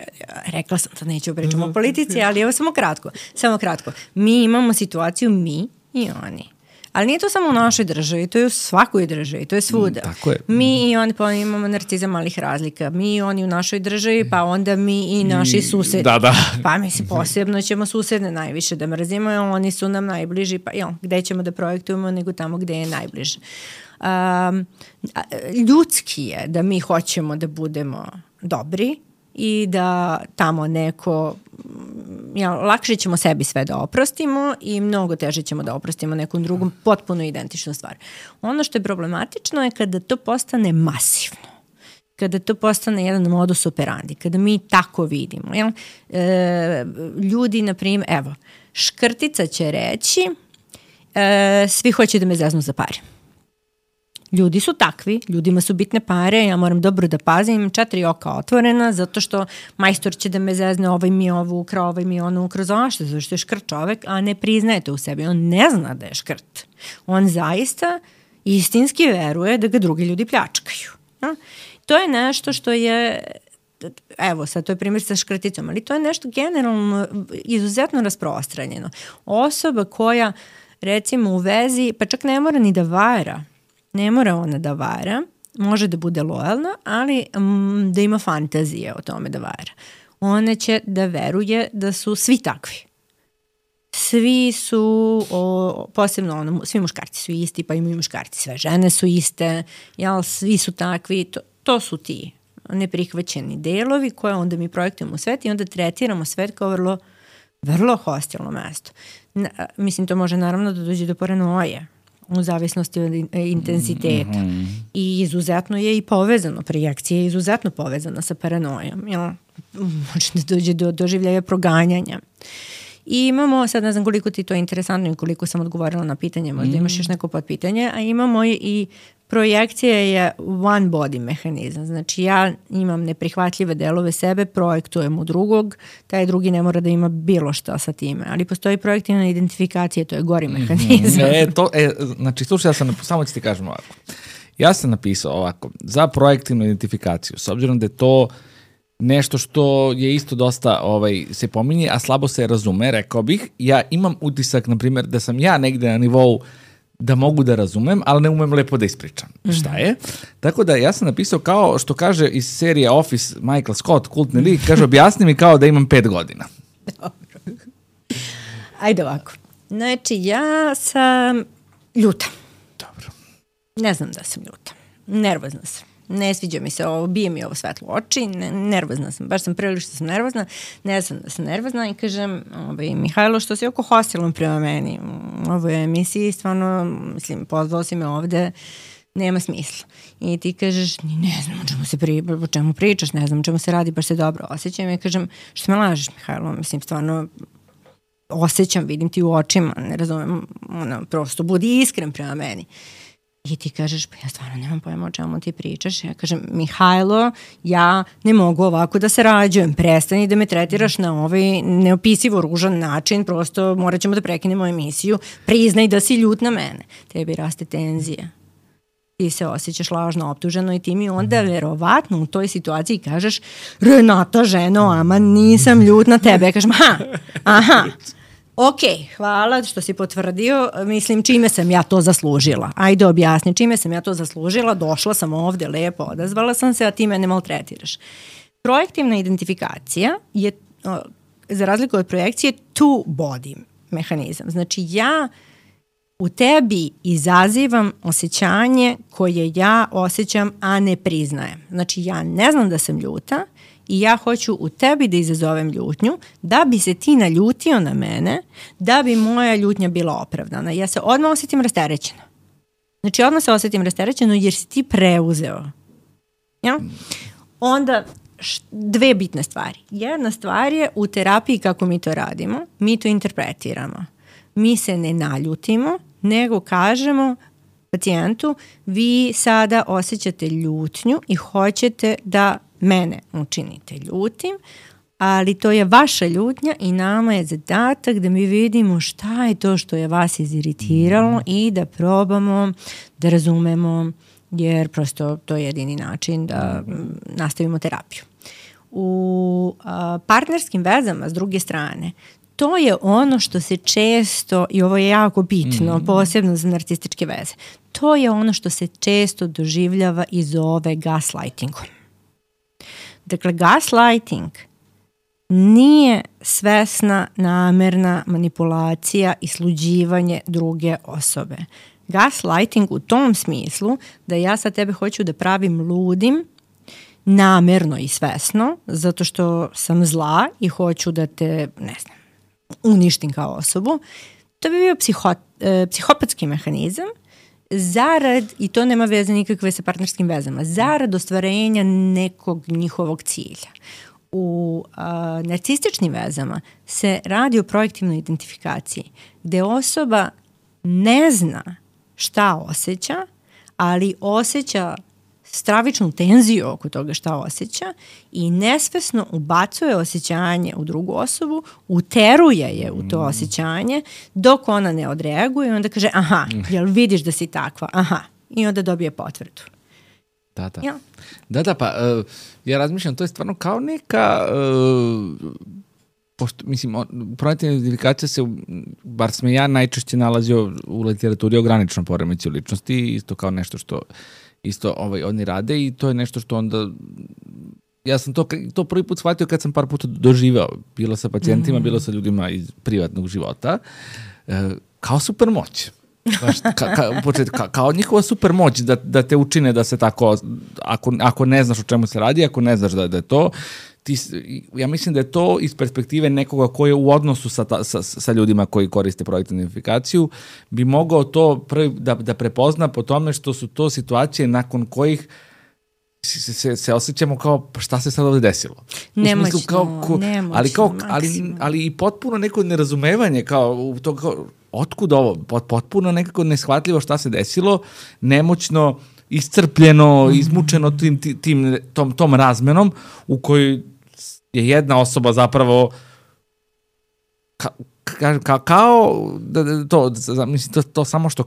Rekla sam da neću pričati o politici, ali evo samo kratko. Samo kratko. Mi imamo situaciju mi i oni. Ali nije to samo u našoj državi, to je u svakoj državi, to je svuda. Tako je. Mi i oni, pa imamo narcizam malih razlika. Mi i oni u našoj državi, pa onda mi i naši susedi. Da, da. Pa mislim, posebno ćemo susedne najviše da mrzimo, oni su nam najbliži, pa jo, gde ćemo da projektujemo nego tamo gde je najbliže. Um, ljudski je da mi hoćemo da budemo dobri i da tamo neko, ja, lakše ćemo sebi sve da oprostimo i mnogo teže ćemo da oprostimo nekom drugom potpuno identičnu stvar. Ono što je problematično je kada to postane masivno, kada to postane jedan modus operandi, kada mi tako vidimo. Jel? E, ljudi, na primjer, evo, Škrtica će reći e, svi hoće da me zeznu za pare. Ljudi su takvi, ljudima su bitne pare, ja moram dobro da pazim, četiri oka otvorena, zato što majstor će da me zezne, ovaj mi ovu ukrao, ovaj mi onu ukrao, zašto? Zato što je škrt čovek, a ne priznaje to u sebi. On ne zna da je škrt. On zaista istinski veruje da ga drugi ljudi pljačkaju. Ja? To je nešto što je, evo sad to je primjer sa škrticom, ali to je nešto generalno izuzetno rasprostranjeno. Osoba koja recimo u vezi, pa čak ne mora ni da vara, ne mora ona da vara, može da bude lojalna, ali um, da ima fantazije o tome da vara. Ona će da veruje da su svi takvi. Svi su, o, posebno ono, svi muškarci su isti, pa imaju muškarci, sve žene su iste, jel, svi su takvi, to, to su ti neprihvaćeni delovi koje onda mi projektujemo u svet i onda tretiramo svet kao vrlo, vrlo hostilno mesto. Na, mislim, to može naravno da dođe do paranoje, u zavisnosti od intenziteta. Mm-hmm. I izuzetno je i povezano, projekcija je izuzetno povezana sa paranojom. Jel? Može da dođe do doživljaja proganjanja. I imamo, sad ne znam koliko ti to je interesantno i koliko sam odgovorila na pitanje, možda mm. imaš još neko podpitanje, a imamo i, i projekcija je one body mehanizam. Znači ja imam neprihvatljive delove sebe, projektujem u drugog, taj drugi ne mora da ima bilo šta sa time. Ali postoji projektivna identifikacija, to je gori mehanizam. Mm-hmm. E, to, e, znači, slušaj, ja sam, samo ću ti kažem ovako. Ja sam napisao ovako, za projektivnu identifikaciju, s obzirom da je to nešto što je isto dosta ovaj, se pominje, a slabo se razume, rekao bih. Ja imam utisak, na primjer, da sam ja negde na nivou da mogu da razumem, ali ne umem lepo da ispričam. Mm-hmm. Šta je? Tako da ja sam napisao kao što kaže iz serije Office Michael Scott, kultni lik, kaže objasni mi kao da imam pet godina. Dobro. Ajde ovako. Znači, ja sam ljuta. Dobro. Ne znam da sam ljuta. Nervozna sam. ne sviđa mi se ovo, bije mi ovo svetlo u oči, ne, nervozna sam, baš sam prilično sam nervozna, ne znam da sam nervozna i kažem, ovaj, Mihajlo, što si oko hostilom prema meni u ovoj emisiji, stvarno, mislim, pozvao si me ovde, nema smisla. I ti kažeš, ne znam o čemu, se pri, o čemu pričaš, ne znam o čemu se radi, baš se dobro osjećam. I kažem, što me lažeš, Mihajlo, mislim, stvarno osjećam, vidim ti u očima, ne razumem, ono, prosto budi iskren prema meni. I ti kažeš, pa ja stvarno nemam pojma o čemu ti pričaš. Ja kažem, Mihajlo, ja ne mogu ovako da se rađujem, prestani da me tretiraš na ovaj neopisivo ružan način, prosto morat ćemo da prekinemo emisiju, priznaj da si ljut na mene. Tebi raste tenzija. Ti se osjećaš lažno optuženo i ti mi onda verovatno u toj situaciji kažeš, Renata, ženo, ama nisam ljut na tebe. Ja kažem, aha, aha. Ok, hvala što si potvrdio, mislim čime sam ja to zaslužila. Ajde objasni čime sam ja to zaslužila, došla sam ovde lepo, odazvala sam se, a ti mene maltretiraš. Projektivna identifikacija je, za razliku od projekcije, two body mehanizam. Znači ja u tebi izazivam osjećanje koje ja osjećam, a ne priznajem. Znači ja ne znam da sam ljuta, i ja hoću u tebi da izazovem ljutnju, da bi se ti naljutio na mene, da bi moja ljutnja bila opravdana. Ja se odmah osjetim rasterećeno. Znači odmah se osjetim rasterećeno jer si ti preuzeo. Ja? Onda dve bitne stvari. Jedna stvar je u terapiji kako mi to radimo, mi to interpretiramo. Mi se ne naljutimo, nego kažemo pacijentu, vi sada osjećate ljutnju i hoćete da mene učinite ljutim, ali to je vaša ljutnja i nama je zadatak da mi vidimo šta je to što je vas iziritiralo i da probamo da razumemo, jer prosto to je jedini način da nastavimo terapiju. U a, partnerskim vezama, s druge strane, to je ono što se često, i ovo je jako bitno, mm. posebno za narcističke veze, to je ono što se često doživljava i zove gaslightingom. Dakle, gaslighting nije svesna, namerna manipulacija i sluđivanje druge osobe. Gaslighting u tom smislu da ja sad tebe hoću da pravim ludim, namerno i svesno, zato što sam zla i hoću da te, ne znam, uništim kao osobu, to bi bio psiho, e, psihopatski mehanizam zarad, i to nema veze nikakve sa partnerskim vezama, zarad ostvarenja nekog njihovog cilja. U a, narcističnim vezama se radi o projektivnoj identifikaciji, gde osoba ne zna šta osjeća, ali osjeća stravičnu tenziju oko toga šta osjeća i nesvesno ubacuje osjećanje u drugu osobu, uteruje je u to osjećanje dok ona ne odreaguje i onda kaže aha, jel vidiš da si takva, aha, i onda dobije potvrdu. Da, da. Ja. Da, da, pa uh, ja razmišljam, to je stvarno kao neka, uh, pošto, mislim, projektivna identifikacija se, bar sam ja najčešće nalazio u literaturi o graničnom poremećaju ličnosti, isto kao nešto što isto ovaj, oni rade i to je nešto što onda, ja sam to, to prvi put shvatio kad sam par puta doživao, bilo sa pacijentima, mm. bilo sa ljudima iz privatnog života, e, kao super moć. Baš, ka, ka, počet, ka, kao njihova super moć da, da te učine da se tako, ako, ako ne znaš o čemu se radi, ako ne znaš da, da je to, ti, ja mislim da je to iz perspektive nekoga ko je u odnosu sa, ta, sa, sa ljudima koji koriste projektivnu identifikaciju, bi mogao to prvi da, da prepozna po tome što su to situacije nakon kojih se, se, se osjećamo kao pa šta se sad ovde desilo. Nemoćno, kao, ko, nemoćno, ali, kao, ali, ali i potpuno neko nerazumevanje kao, to, kao otkud ovo, potpuno nekako neshvatljivo šta se desilo, nemoćno, iscrpljeno, izmučeno tim, tim, tom, tom razmenom u kojoj je jedna osoba zapravo ka, ka, ka, kao da, to, mislim, to, to samo što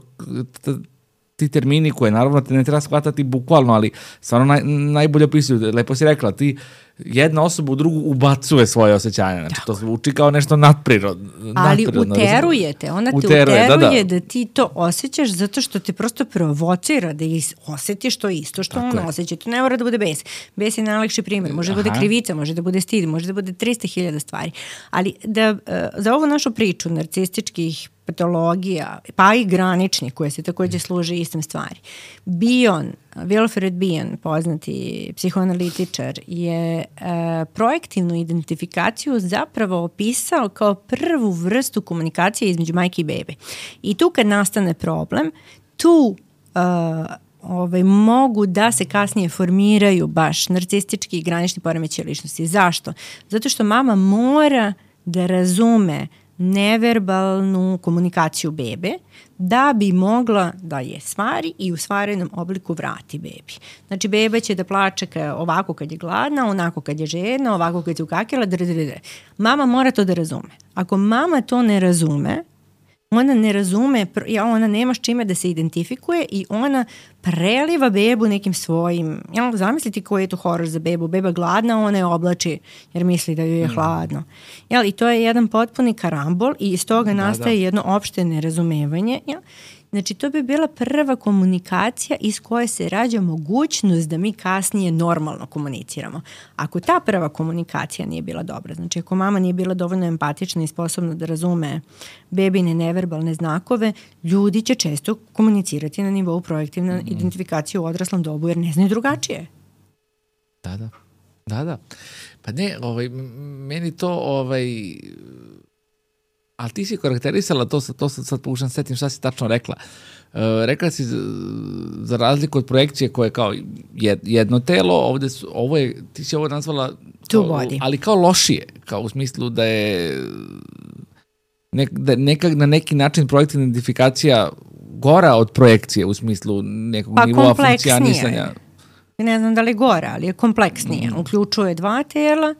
ti termini koje naravno te ne treba shvatati bukvalno, ali stvarno naj, najbolje opisuju, lepo si rekla, ti jedna osoba u drugu ubacuje svoje osjećanje, znači to zvuči kao nešto nadprirodno. Ali uterujete, ona te uteruje, uteruje da, da. da ti to osjećaš zato što te prosto provocira da osjetiš to isto što on osjeća. To ne mora da bude bes. Bes je najlakši primjer, može da bude krivica, može da bude stid, može da bude trista hiljada stvari. Ali da, za ovu našu priču narcističkih patologija, pa i granični koje se takođe služe istim stvari. Bion, Wilfred Bion, poznati psihoanalitičar, je e, projektivnu identifikaciju zapravo opisao kao prvu vrstu komunikacije između majke i bebe. I tu kad nastane problem, tu e, ovaj, mogu da se kasnije formiraju baš narcistički i granični poremećaj ličnosti. Zašto? Zato što mama mora da razume neverbalnu komunikaciju bebe da bi mogla da je stvari i u stvarenom obliku vrati bebi. Znači, beba će da plače ovako kad je gladna, onako kad je žedna, ovako kad je ukakila, dr, dr, dr. Mama mora to da razume. Ako mama to ne razume, ona ne razume, ona nema s čime da se identifikuje i ona preliva bebu nekim svojim, jel, zamisliti koji je to horor za bebu, beba gladna, ona je oblači jer misli da joj je hladno. Jel, i to je jedan potpuni karambol i iz toga nastaje da, da. jedno opšte nerazumevanje. Jel? Znači, to bi bila prva komunikacija iz koje se rađa mogućnost da mi kasnije normalno komuniciramo. Ako ta prva komunikacija nije bila dobra, znači ako mama nije bila dovoljno empatična i sposobna da razume bebine neverbalne znakove, ljudi će često komunicirati na nivou projektivne mm. identifikacije u odraslom dobu jer ne znaju drugačije. Da, da. Da, da. Pa ne, ovaj, meni to ovaj... Ali ti si karakterisala, to, to sad, sad pokušam setim šta si tačno rekla. Uh, rekla si za razliku od projekcije koje je kao jedno telo, ovde su, ovo je, ti si ovo nazvala, kao, ali kao lošije, kao u smislu da je nek, da nekak, na neki način projektivna identifikacija gora od projekcije u smislu nekog pa nivoa funkcionisanja. Ne znam da li gora, ali je kompleksnije. Mm. Uključuje dva tela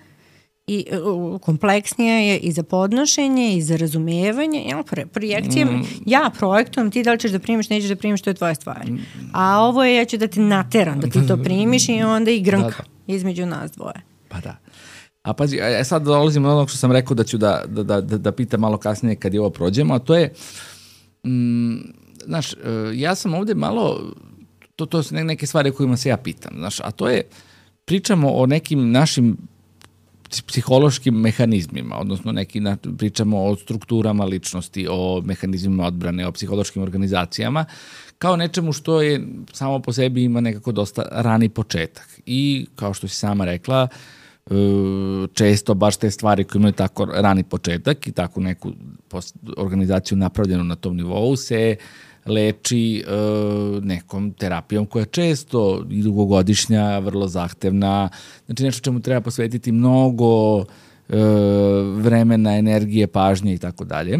i uh, kompleksnije je i za podnošenje i za razumevanje. Ja, projekcije, mm. ja projektujem, ti da li ćeš da primiš, nećeš da primiš, to je tvoja stvar. Mm. A ovo je, ja ću da ti nateram da ti to primiš i onda i grnka da, da. između nas dvoje. Pa da. A pazi, ja sad dolazim od onog što sam rekao da ću da, da, da, da pitam malo kasnije kad je ovo prođemo, a to je, mm, znaš, ja sam ovde malo, to, to su neke stvari kojima se ja pitam, znaš, a to je, pričamo o nekim našim psihološkim mehanizmima, odnosno neki, pričamo o strukturama ličnosti, o mehanizmima odbrane, o psihološkim organizacijama, kao nečemu što je samo po sebi ima nekako dosta rani početak. I kao što si sama rekla, često baš te stvari koje imaju tako rani početak i tako neku organizaciju napravljenu na tom nivou se leči nekom terapijom koja je često i dugogodišnja, vrlo zahtevna, znači nešto čemu treba posvetiti mnogo vremena, energije, pažnje i tako dalje.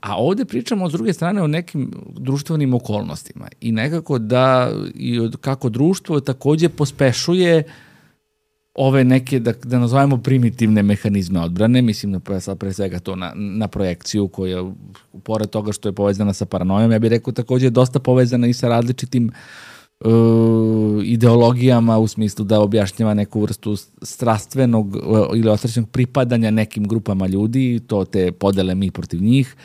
A ovde pričamo s druge strane o nekim društvenim okolnostima i nekako da i kako društvo takođe pospešuje ove neke, da, da nazovemo primitivne mehanizme odbrane, mislim na, sad pre svega to na, na projekciju koja, pored toga što je povezana sa paranojom, ja bih rekao takođe je dosta povezana i sa različitim uh, ideologijama u smislu da objašnjava neku vrstu strastvenog uh, ili osjećanog pripadanja nekim grupama ljudi, to te podele mi protiv njih.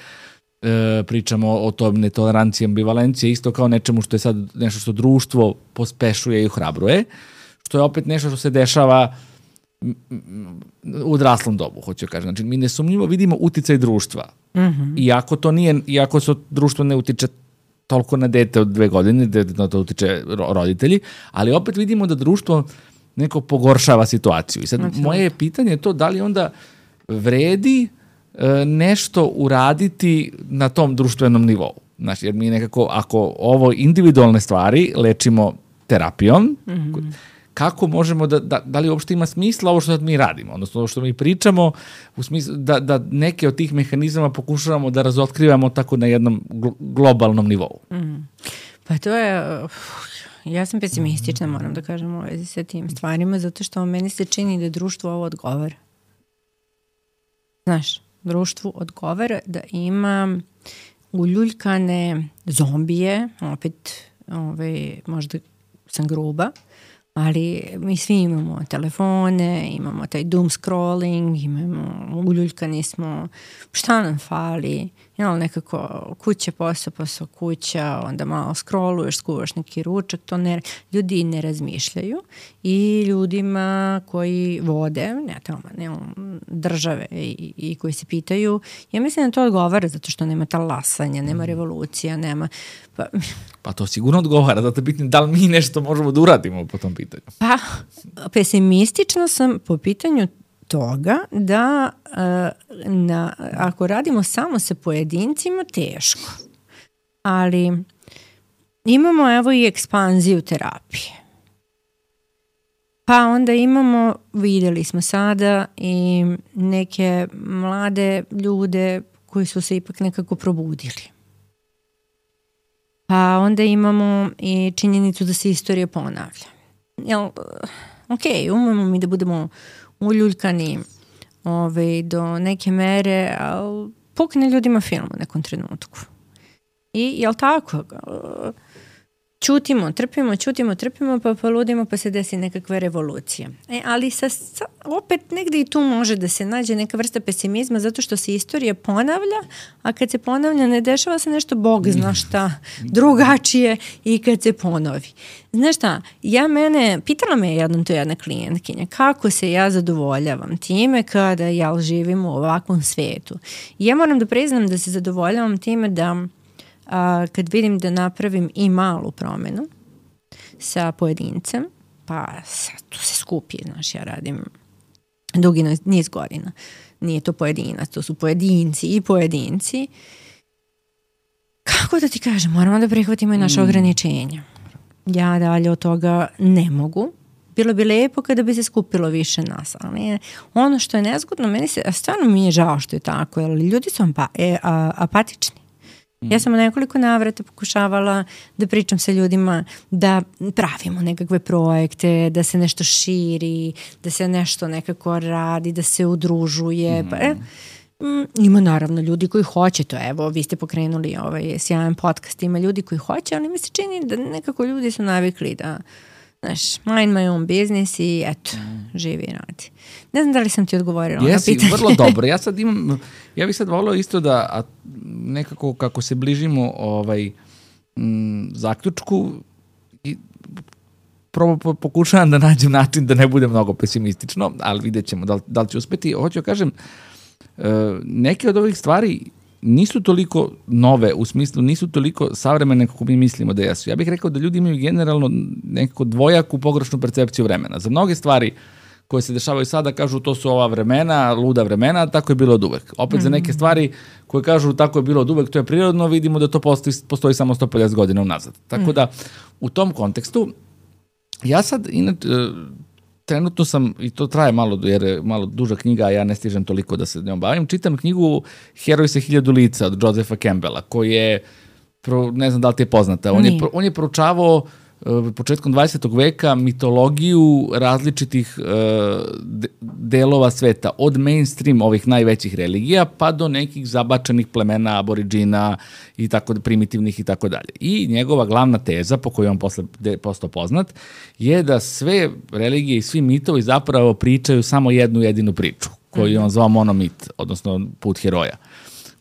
E, pričamo o tom netoleranciji ambivalencije, isto kao nečemu što je sad nešto što društvo pospešuje i ohrabruje, što je opet nešto što se dešava u odraslom dobu, hoću kažem. Znači, mi nesumnjivo vidimo uticaj društva. Mm-hmm. Iako to nije, iako se društvo ne utiče toliko na dete od dve godine, da to utiče roditelji, ali opet vidimo da društvo neko pogoršava situaciju. I sad, znači, moje pitanje je to da li onda vredi nešto uraditi na tom društvenom nivou. Znači, jer mi nekako, ako ovo individualne stvari lečimo terapijom, mm-hmm. kako možemo da, da, da li uopšte ima smisla ovo što mi radimo, odnosno ovo što mi pričamo, u smislu da, da neke od tih mehanizama pokušavamo da razotkrivamo tako na jednom globalnom nivou. Mm. Pa to je, ja sam pesimistična, moram da kažem u vezi sa tim stvarima, zato što meni se čini da društvo ovo odgovara. Znaš, društvu odgovara da ima uljuljkane zombije, opet ovaj, možda sam gruba, ali mi svi imamo telefone, imamo taj doom scrolling, imamo, uljuljkani smo, šta nam fali, jel, nekako kuća, posao, posao, kuća, onda malo scrolluješ, skuvaš neki ručak, to ne, ljudi ne razmišljaju i ljudima koji vode, ne tamo, ne, države i, i koji se pitaju, ja mislim da to odgovara zato što nema talasanja, nema revolucija, nema... Pa, pa to sigurno odgovara, zato bitno da li mi nešto možemo da uradimo po tom pitanju. Pa, pesimistična sam po pitanju toga da uh, na, ako radimo samo sa pojedincima, teško. Ali imamo evo i ekspanziju terapije. Pa onda imamo, videli smo sada i neke mlade ljude koji su se ipak nekako probudili. Pa onda imamo i činjenicu da se istorija ponavlja. Jel, ok, umemo mi da budemo uljuljkani ove, do neke mere, ali pukne ljudima film u nekom trenutku. I jel tako? Čutimo, trpimo, čutimo, trpimo, pa poludimo, pa se desi nekakva revolucija. E, ali sa, sa, opet negde i tu može da se nađe neka vrsta pesimizma zato što se istorija ponavlja, a kad se ponavlja ne dešava se nešto Bog zna šta drugačije i kad se ponovi. Znaš šta, ja mene, pitala me jednom to jedna klijentkinja, kako se ja zadovoljavam time kada ja živim u ovakvom svetu. I ja moram da priznam da se zadovoljavam time da a, kad vidim da napravim i malu promenu sa pojedincem, pa sad tu se skupi, znaš, ja radim dugi niz godina. Nije to pojedinac, to su pojedinci i pojedinci. Kako da ti kažem, moramo da prihvatimo i naše mm. ograničenja. Ja dalje od toga ne mogu. Bilo bi lepo kada bi se skupilo više nas, ali ono što je nezgodno, meni se, stvarno mi je žao što je tako, jer ljudi su apa, e, a, apatični. Ja sam u nekoliko navrata pokušavala da pričam sa ljudima, da pravimo nekakve projekte, da se nešto širi, da se nešto nekako radi, da se udružuje. Mm. Pa, e, ima naravno ljudi koji hoće to. Evo, vi ste pokrenuli ovaj sjajan podcast, ima ljudi koji hoće, ali mi se čini da nekako ljudi su navikli da, znaš, mind my own business i eto, mm. živi i radi. Ne znam da li sam ti odgovorila na pitanje. Jesi, vrlo dobro. Ja sad imam, ja bih sad volio isto da a nekako kako se bližimo ovaj, m, zaključku i probo pokušavam da nađem način da ne bude mnogo pesimistično, ali vidjet ćemo da li, da li će uspeti. Hoću da kažem, neke od ovih stvari nisu toliko nove, u smislu nisu toliko savremene kako mi mislimo da jesu. Ja bih rekao da ljudi imaju generalno nekako dvojaku pogrešnu percepciju vremena. Za mnoge stvari koje se dešavaju sada kažu to su ova vremena, luda vremena, tako je bilo od uvek. Opet mm-hmm. za neke stvari koje kažu tako je bilo od uvek, to je prirodno, vidimo da to postoji, postoji samo sto pedeset godina unazad. Tako mm. da u tom kontekstu ja sad inače trenutno sam, i to traje malo, jer je malo duža knjiga, a ja ne stižem toliko da se njom bavim, čitam knjigu Heroj sa hiljadu lica od Josepha Campbella, koji je, ne znam da li ti je poznata, on je, on je proučavao početkom dvadesetog veka mitologiju različitih uh, delova sveta, od mainstream ovih najvećih religija pa do nekih zabačenih plemena, aboriđina i tako primitivnih i tako dalje. I njegova glavna teza, po kojoj on posle postao poznat, je da sve religije i svi mitovi zapravo pričaju samo jednu jedinu priču, koju mm-hmm. on zvao monomit, odnosno put heroja.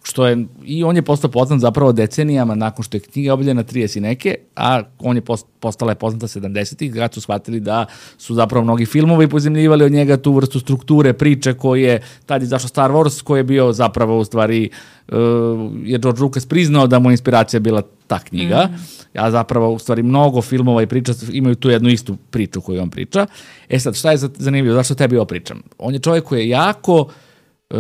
Što je, i on je postao poznat zapravo decenijama nakon što je knjiga objavljena trideset i neke, a on je post, postala je poznata sedamdesetih, kada su shvatili da su zapravo mnogi filmovi pozemljivali od njega tu vrstu strukture, priče koje, tad je zašao Star Wars, koji je bio zapravo u stvari, uh, je George Lucas priznao da mu inspiracija bila ta knjiga, mm. a zapravo u stvari mnogo filmova i priča imaju tu jednu istu priču koju on priča. E sad, šta je zanimljivo, zašto tebi ovo pričam? On je čovjek koji je jako uh,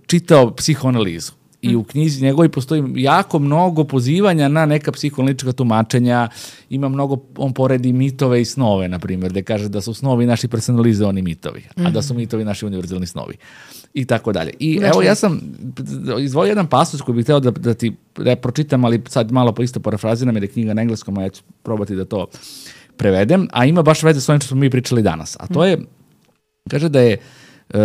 čitao psihoanalizu. I u knjizi njegovi postoji jako mnogo pozivanja na neka psihoanalitička tumačenja, ima mnogo, on poredi mitove i snove, na primjer, gde kaže da su snovi naši personalizovani mitovi, mm. a da su mitovi naši univerzalni snovi. I tako dalje. I znači, evo ja sam izvojio jedan pasus koji bih hteo da, da ti da pročitam, ali sad malo po isto parafraziram, jer je knjiga na engleskom, a ja ću probati da to prevedem, a ima baš veze s onim što smo mi pričali danas. A to je, kaže da je... Uh,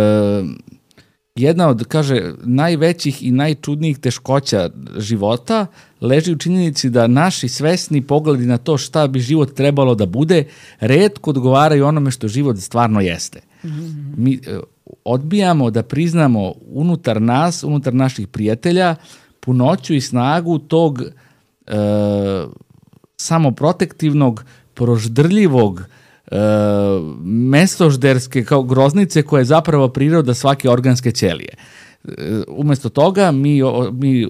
jedna od, kaže, najvećih i najčudnijih teškoća života leži u činjenici da naši svesni pogledi na to šta bi život trebalo da bude retko odgovaraju onome što život stvarno jeste. Mm-hmm. Mi odbijamo da priznamo unutar nas, unutar naših prijatelja, punoću i snagu tog e, samoprotektivnog, proždrljivog, e, mesožderske kao groznice koja je zapravo priroda svake organske ćelije. E, umesto toga mi, mi e,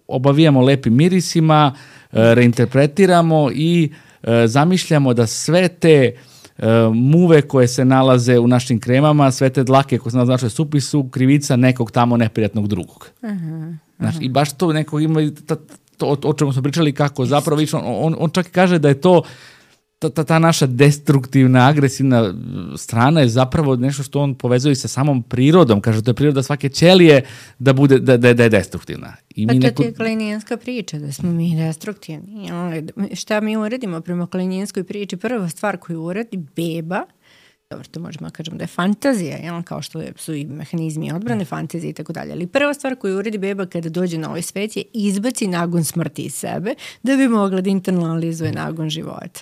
obavijamo lepim mirisima, e, reinterpretiramo i e, zamišljamo da sve te muve koje se nalaze u našim kremama, sve te dlake koje se nalaze u našoj supi su krivica nekog tamo neprijatnog drugog. Uh-huh, Znaš, uh-huh. I baš to neko ima, ta, to, o, o čemu smo pričali, kako zapravo, on, on, on čak i kaže da je to ta, ta, ta naša destruktivna, agresivna strana je zapravo nešto što on povezuje sa samom prirodom. Kaže, to je priroda svake ćelije da, bude, da, da, da je destruktivna. I pa mi to neko... je klinijanska priča, da smo mi destruktivni. Šta mi uradimo prema klinijanskoj priči? Prva stvar koju uradi beba, dobro, to možemo kažemo da je fantazija, jel? Kao što su i mehanizmi odbrane, fantazije i tako dalje. Ali prva stvar koju uradi beba kada dođe na ovaj svet je izbaci nagon smrti iz sebe da bi mogla da internalizuje nagon života.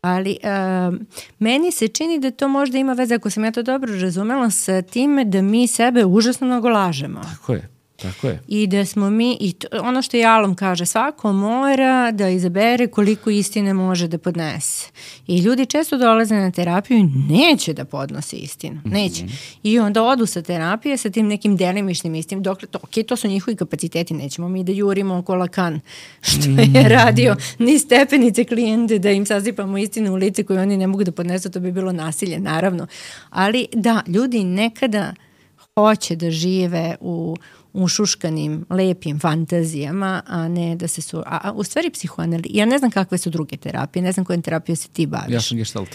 Ali uh, meni se čini da to možda ima veze, ako sam ja to dobro razumela, sa time da mi sebe užasno mnogo lažemo. Tako je. Tako je. I da smo mi, i to, ono što Jalom kaže, svako mora da izabere koliko istine može da podnese. I ljudi često dolaze na terapiju i neće da podnose istinu. Neće. Mm-hmm. I onda odu sa terapije sa tim nekim delimičnim istinom. Dokle, to, ok, to su njihovi kapaciteti, nećemo mi da jurimo oko Lakan, što je radio ni stepenice klijente, da im sasipamo istinu u lice koju oni ne mogu da podnesu, to bi bilo nasilje, naravno. Ali da, ljudi nekada hoće da žive u u šuškanim, lepim fantazijama, a ne da se su... A, a u stvari psihoanaliza... Ja ne znam kakve su druge terapije, ne znam kojom terapijom se ti baviš. Ja sam gestalt.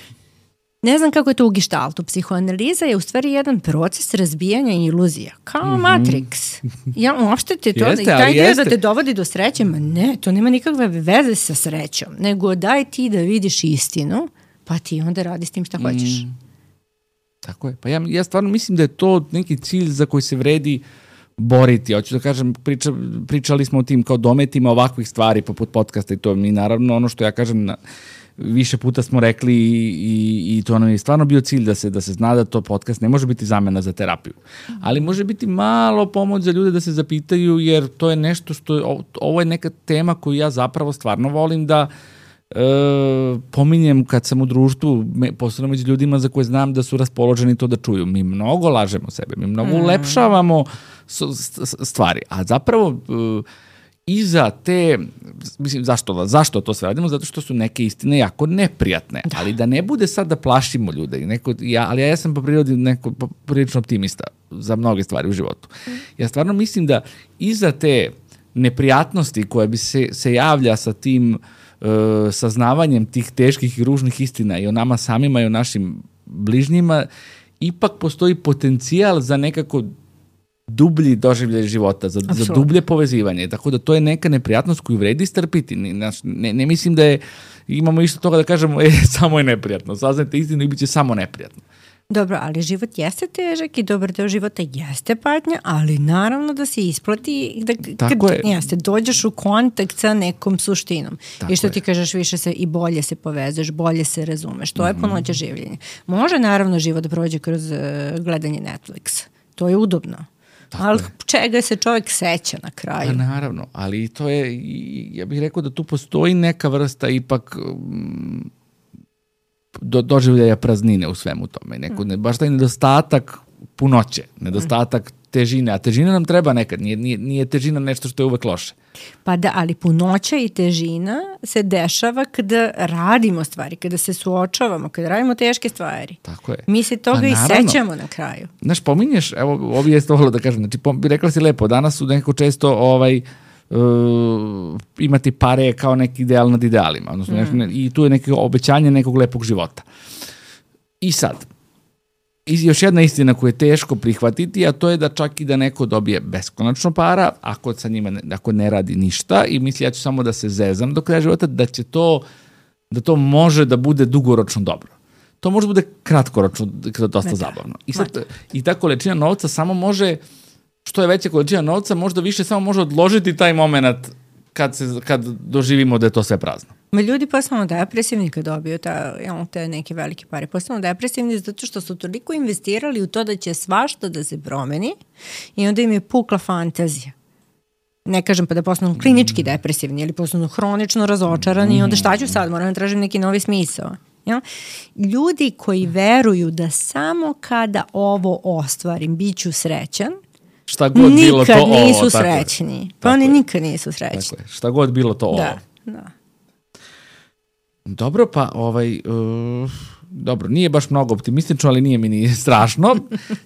Ne znam kako je to u geštaltu. Psihoanaliza je u stvari jedan proces razbijanja iluzija. Kao mm-hmm. Matrix. Ja, uopšte te to... Jeste, i taj dio jeste. Da te dovodi do sreće, ma ne, to nema nikakve veze sa srećom. Nego daj ti da vidiš istinu, pa ti onda radi s tim šta hoćeš. Mm. Tako je. Pa ja, ja stvarno mislim da je to neki cilj za koji se vredi boriti. Hoću da kažem, priča, pričali smo o tim kao dometima ovakvih stvari poput podcasta i to mi naravno ono što ja kažem na, više puta smo rekli i, i, i to nam je stvarno bio cilj da se, da se zna da to podcast ne može biti zamena za terapiju. Ali može biti malo pomoć za ljude da se zapitaju jer to je nešto što je, ovo je neka tema koju ja zapravo stvarno volim da E, pominjem kad sam u društvu, posebno među ljudima za koje znam da su raspoloženi to da čuju. Mi mnogo lažemo sebe, mi mnogo mm. ulepšavamo stvari, a zapravo e, iza te, mislim, zašto, zašto to sve radimo? Zato što su neke istine jako neprijatne, da. Ali da ne bude sad da plašimo ljude, neko, ja, ali ja sam po prirodi neko prilično optimista za mnoge stvari u životu. Mm. Ja stvarno mislim da iza te neprijatnosti koja bi se, se javlja sa tim saznavanjem tih teških i ružnih istina i o nama samima i o našim bližnjima, ipak postoji potencijal za nekako dublji doživljaj života, za, za dublje povezivanje. Tako da to je neka neprijatnost koju vredi strpiti. Ne, ne, ne mislim da je, imamo isto toga da kažemo, e, samo je neprijatno. Saznajte istinu i bit će samo neprijatno. Dobro, ali život jeste težak i dobar deo života jeste patnja, ali naravno da se isplati da Tako kad je. Jeste, dođeš u kontakt sa nekom suštinom. Tako I što je. ti kažeš, više se i bolje se povezuješ, bolje se razumeš. To je punoća življenja. Može naravno život da prođe kroz uh, gledanje Netflixa. To je udobno. Tako ali je. Čega se čovjek seća na kraju? Pa naravno, ali to je, ja bih rekao da tu postoji neka vrsta ipak... Um, do, doživljaja praznine u svemu tome. Neko, ne, baš taj nedostatak punoće, nedostatak težine, a težina nam treba nekad, nije, nije, nije težina nešto što je uvek loše. Pa da, ali punoća i težina se dešava kada radimo stvari, kada se suočavamo, kada radimo teške stvari. Tako je. Mi se toga i sećamo na kraju. Znaš, pominješ, evo, ovdje je to da kažem, znači, pom, rekla si lepo, danas su nekako često ovaj, Uh, imati pare kao neki ideal nad idealima. Odnosno, mm. ne, i tu je neko obećanje nekog lepog života. I sad, još jedna istina koju je teško prihvatiti, a to je da čak i da neko dobije beskonačno para, ako sa njima ne, ako ne radi ništa i misli ja ću samo da se zezam do kraja života, da će to, da to može da bude dugoročno dobro. to može bude kratkoročno dosta da, zabavno. I, sad, I ta količina novca samo može, što je veća količina novca, možda više samo može odložiti taj moment kad, se, kad doživimo da je to sve prazno. Ma ljudi postanu depresivni kad dobiju ta, ja, te neke velike pare. Postanu depresivni zato što su toliko investirali u to da će svašta da se promeni i onda im je pukla fantazija. Ne kažem pa da postanu klinički depresivni ili postanu hronično razočarani i onda šta ću sad, moram da tražim neki novi smisao. Ja? Ljudi koji veruju da samo kada ovo ostvarim bit ću srećan, šta god bilo to nikad nisu ovo, srećni. Pa oni nikad nisu srećni. Tako je. Šta god bilo to da, ovo. Da. Dobro, pa ovaj... Uh, dobro, nije baš mnogo optimistično, ali nije mi ni strašno.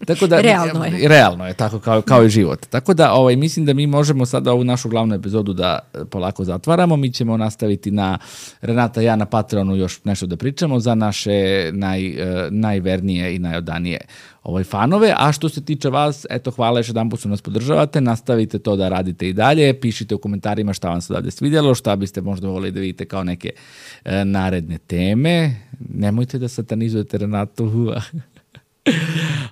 Tako da, realno je. Realno je, tako kao, kao i život. Tako da ovaj, mislim da mi možemo sada ovu našu glavnu epizodu da polako zatvaramo. Mi ćemo nastaviti na Renata i ja na Patreonu još nešto da pričamo za naše naj, uh, najvernije i najodanije ovaj fanove, a što se tiče vas, eto, hvala još jedan put što nas podržavate, nastavite to da radite i dalje, pišite u komentarima šta vam se odavde svidjelo, šta biste možda volili da vidite kao neke e, naredne teme, nemojte da satanizujete Renatu,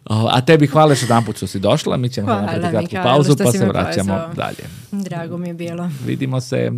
a tebi hvala još jedan put što si došla, mi ćemo napraviti kratku pauzu pa se vraćamo pozvao. Dalje. Drago mi je bilo. Vidimo se.